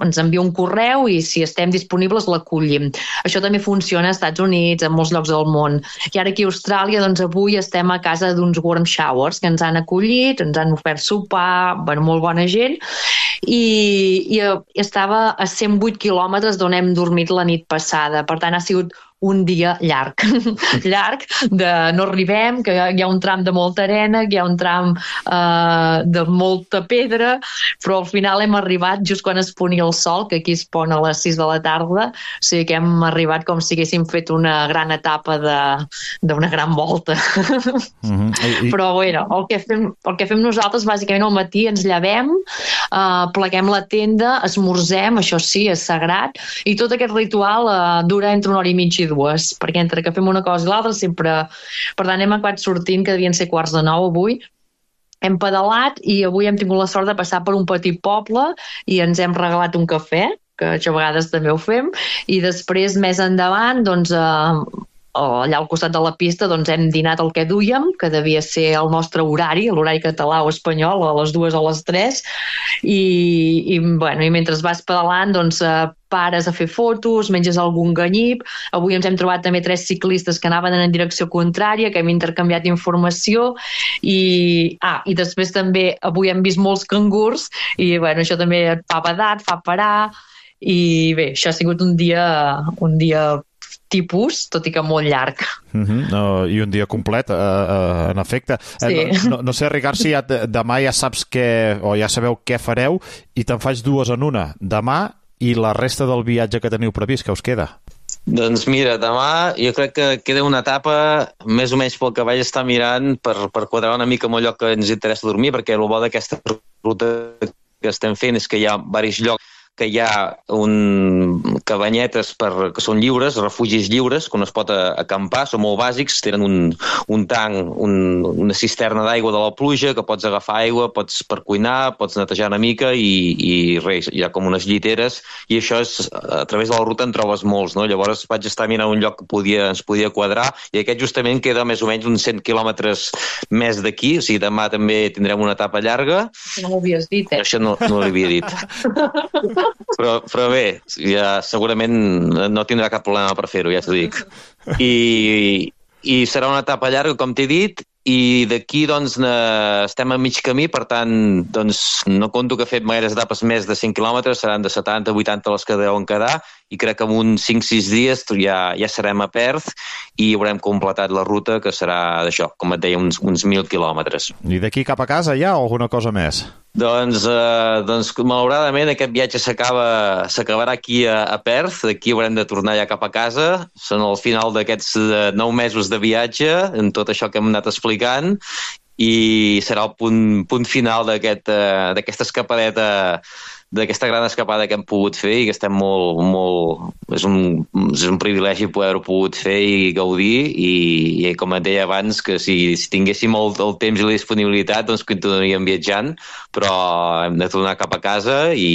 ens envia un correu i si estem disponibles l'acollim. Això també funciona als Estats Units, en molts llocs del món. I ara aquí a Austràlia, doncs avui estem a casa d'uns Warm Showers que ens han acollit, ens han ofert sopar, bueno, molt bona gent, i, i estava a cent vuit quilòmetres d'on hem dormit la nit passada. Per tant, ha sigut un dia llarg, llarg, de no arribem, que hi ha un tram de molta arena, que hi ha un tram eh, de molta pedra, però al final hem arribat just quan es ponia el sol, que aquí es pon a les sis de la tarda, o sigui que hem arribat com si haguéssim fet una gran etapa d'una gran volta. Mm-hmm. I, i... Però bueno, el que, fem, el que fem nosaltres, bàsicament al matí ens llevem, eh, pleguem la tenda, esmorzem, això sí, és sagrat, i tot aquest ritual eh, dura entre una hora i mitja i dues, perquè entre que fem una cosa i l'altra sempre... Per tant, hem acabat sortint, que devien ser quarts de nou avui, hem pedalat i avui hem tingut la sort de passar per un petit poble i ens hem regalat un cafè, que això a vegades també ho fem, i després, més endavant, doncs... Eh, allà al costat de la pista doncs hem dinat el que duíem, que devia ser el nostre horari, l'horari català o espanyol, a les dues o a les tres, i, i, bueno, i mentre vas pedalant doncs, pares a fer fotos, menges algun ganyip. Avui ens hem trobat també tres ciclistes que anaven en direcció contrària, que hem intercanviat informació, i, ah, i després també avui hem vist molts cangurs, i bueno, això també et fa badar, fa parar, i bé, això ha sigut un dia, un dia tipus, tot i que molt llarg. Uh-huh. No, I un dia complet, uh, uh, en efecte. Sí. Eh, no, no sé, Ricard, si ja, demà ja saps què, o ja sabeu què fareu, i te'n faig dues en una. Demà i la resta del viatge que teniu previst, que us queda? Doncs mira, demà jo crec que queda una etapa, més o menys pel que vaig estar mirant, per, per quadrar una mica amb el lloc que ens interessa dormir, perquè el bo d'aquesta ruta que estem fent és que hi ha diversos llocs que hi ha un cabanyetes per, que són lliures, refugis lliures, que on es pot acampar, són molt bàsics, tenen un, un tanc, un, una cisterna d'aigua de la pluja, que pots agafar aigua, pots per cuinar, pots netejar una mica i, i res, hi ha com unes lliteres, i això és, a través de la ruta en trobes molts, no? Llavors vaig estar mirant un lloc que podia, ens podia quadrar, i aquest justament queda més o menys uns cent quilòmetres més d'aquí, o sigui, demà també tindrem una etapa llarga. No m'ho havies dit, eh? Això no, no l'havia dit. Però, però bé, ja segurament no tindrà cap problema per fer-ho, ja t'ho dic. I, i serà una etapa llarga, com t'he dit, i d'aquí doncs estem a mig camí, per tant doncs no conto que he fet gaires etapes més de cent quilòmetres, seran de setanta a vuitanta les que deuen quedar, i crec que en uns cinc sis dies ja, ja serem a Perth i haurem completat la ruta, que serà d'això, com et deia, uns, uns mil quilòmetres. I d'aquí cap a casa hi ha alguna cosa més? Doncs, eh, doncs malauradament aquest viatge s'acaba s'acabarà aquí a, a Perth, d'aquí haurem de tornar ja cap a casa, són al final d'aquests eh, nou mesos de viatge, en tot això que hem anat explicant, i serà el punt, punt final d'aquest, eh, d'aquesta escapadeta, d'aquesta gran escapada que hem pogut fer i que estem molt, molt... És un, és un privilegi poder-ho pogut fer i gaudir, i, i com et deia abans, que si, si tinguéssim el, el temps i la disponibilitat, doncs continuaríem viatjant, però hem de tornar cap a casa, i,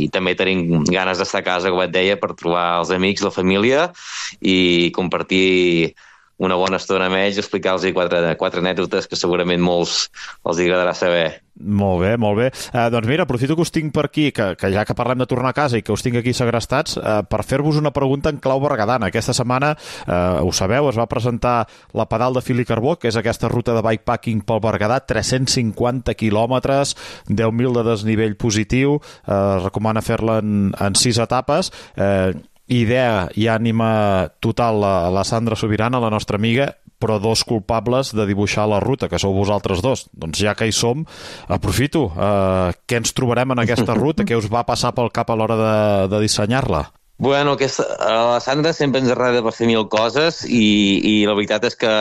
i també tenim ganes d'estar a casa, com et deia, per trobar els amics, la família, i compartir una bona estona amb ells, explicar-los quatre, quatre anècdotes que segurament molts els agradarà saber. Molt bé, molt bé. Eh, doncs mira, aprofito que us tinc per aquí, que, que ja que parlem de tornar a casa i que us tinc aquí segrestats, eh, per fer-vos una pregunta en clau berguedana. Aquesta setmana, eh, ho sabeu, es va presentar la Pedal de Fil i Carbó, que és aquesta ruta de bikepacking pel Berguedà, tres-cents cinquanta quilòmetres, deu mil de desnivell positiu, eh, recomana fer-la en, en sis etapes, eh, idea i ànima total a la Sandra Sobirana, la nostra amiga, però dos culpables de dibuixar la ruta, que sou vosaltres dos. Doncs ja que hi som, aprofito. Eh, què ens trobarem en aquesta ruta? Què us va passar pel cap a l'hora de, de dissenyar-la? Bueno, aquesta, la Sandra sempre ens agrada per fer mil coses, i, i la veritat és que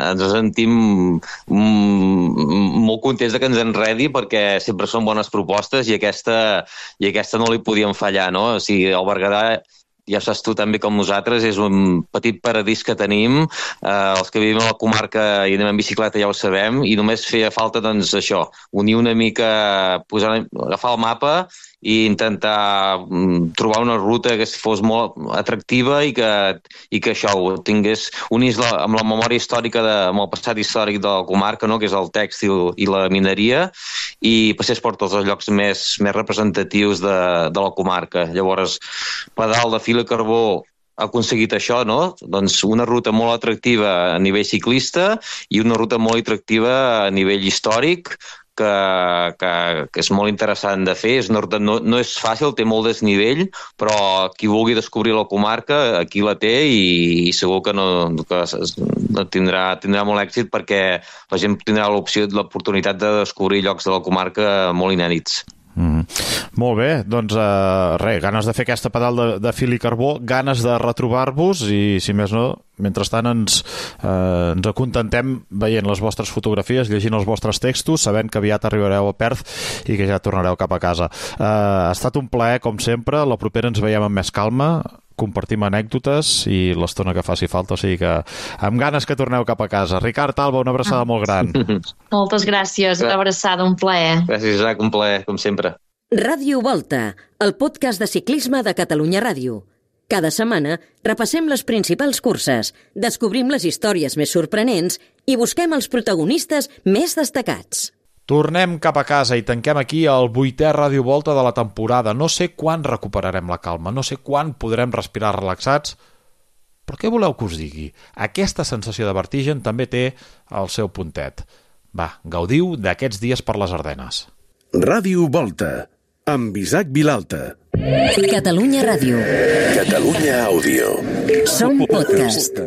ens sentim molt contents de que ens enredi, perquè sempre són bones propostes, i aquesta, i aquesta no li podíem fallar, no? O sigui, el Berguedà, ja saps tu també com nosaltres, és un petit paradís que tenim, eh, els que vivim a la comarca i anem en bicicleta ja ho sabem, i només feia falta, doncs, això, unir una mica, posar, agafar el mapa i intentar mm, trobar una ruta que fos molt atractiva i que, i que això ho tingués, unís la, amb la memòria històrica, de, amb el passat històric de la comarca, no?, que és el tèxtil i la mineria, i passés per tots els llocs més, més representatius de, de la comarca. Llavors, Pedal de Fil i Carbó ha aconseguit això, no? Doncs una ruta molt atractiva a nivell ciclista i una ruta molt atractiva a nivell històric, que, que, que és molt interessant de fer. És una ruta, no, no és fàcil, té molt desnivell, però qui vulgui descobrir la comarca, aquí la té, i, i segur que, no, que no tindrà, tindrà molt èxit, perquè la gent tindrà l'opció, l'oportunitat de descobrir llocs de la comarca molt inèdits. Mm. Molt bé, doncs uh, res, ganes de fer aquesta Pedal de, de Fil i Carbó, ganes de retrobar-vos, i si més no, mentrestant ens, uh, ens acontentem veient les vostres fotografies, llegint els vostres textos, sabent que aviat arribareu a Perth i que ja tornareu cap a casa. Uh, ha estat un plaer, com sempre. La propera ens veiem amb més calma, compartim anècdotes i l'estona que faci falta, o sigui que amb ganes que torneu cap a casa. Ricard Alba, una abraçada molt gran. Moltes gràcies, una abraçada, un plaer. Gràcies, Isaac, un plaer, com sempre. Ràdio Volta, el podcast de ciclisme de Catalunya Ràdio. Cada setmana repassem les principals curses, descobrim les històries més sorprenents i busquem els protagonistes més destacats. Tornem cap a casa i tanquem aquí el vuitè Ràdio Volta de la temporada. No sé quan recuperarem la calma, no sé quan podrem respirar relaxats, però què voleu que us digui? Aquesta sensació de vertigen també té el seu puntet. Va, gaudiu d'aquests dies per les Ardenes. Ràdio Volta, amb Isaac Vilalta. Catalunya Ràdio. Catalunya Àudio. Som podcast.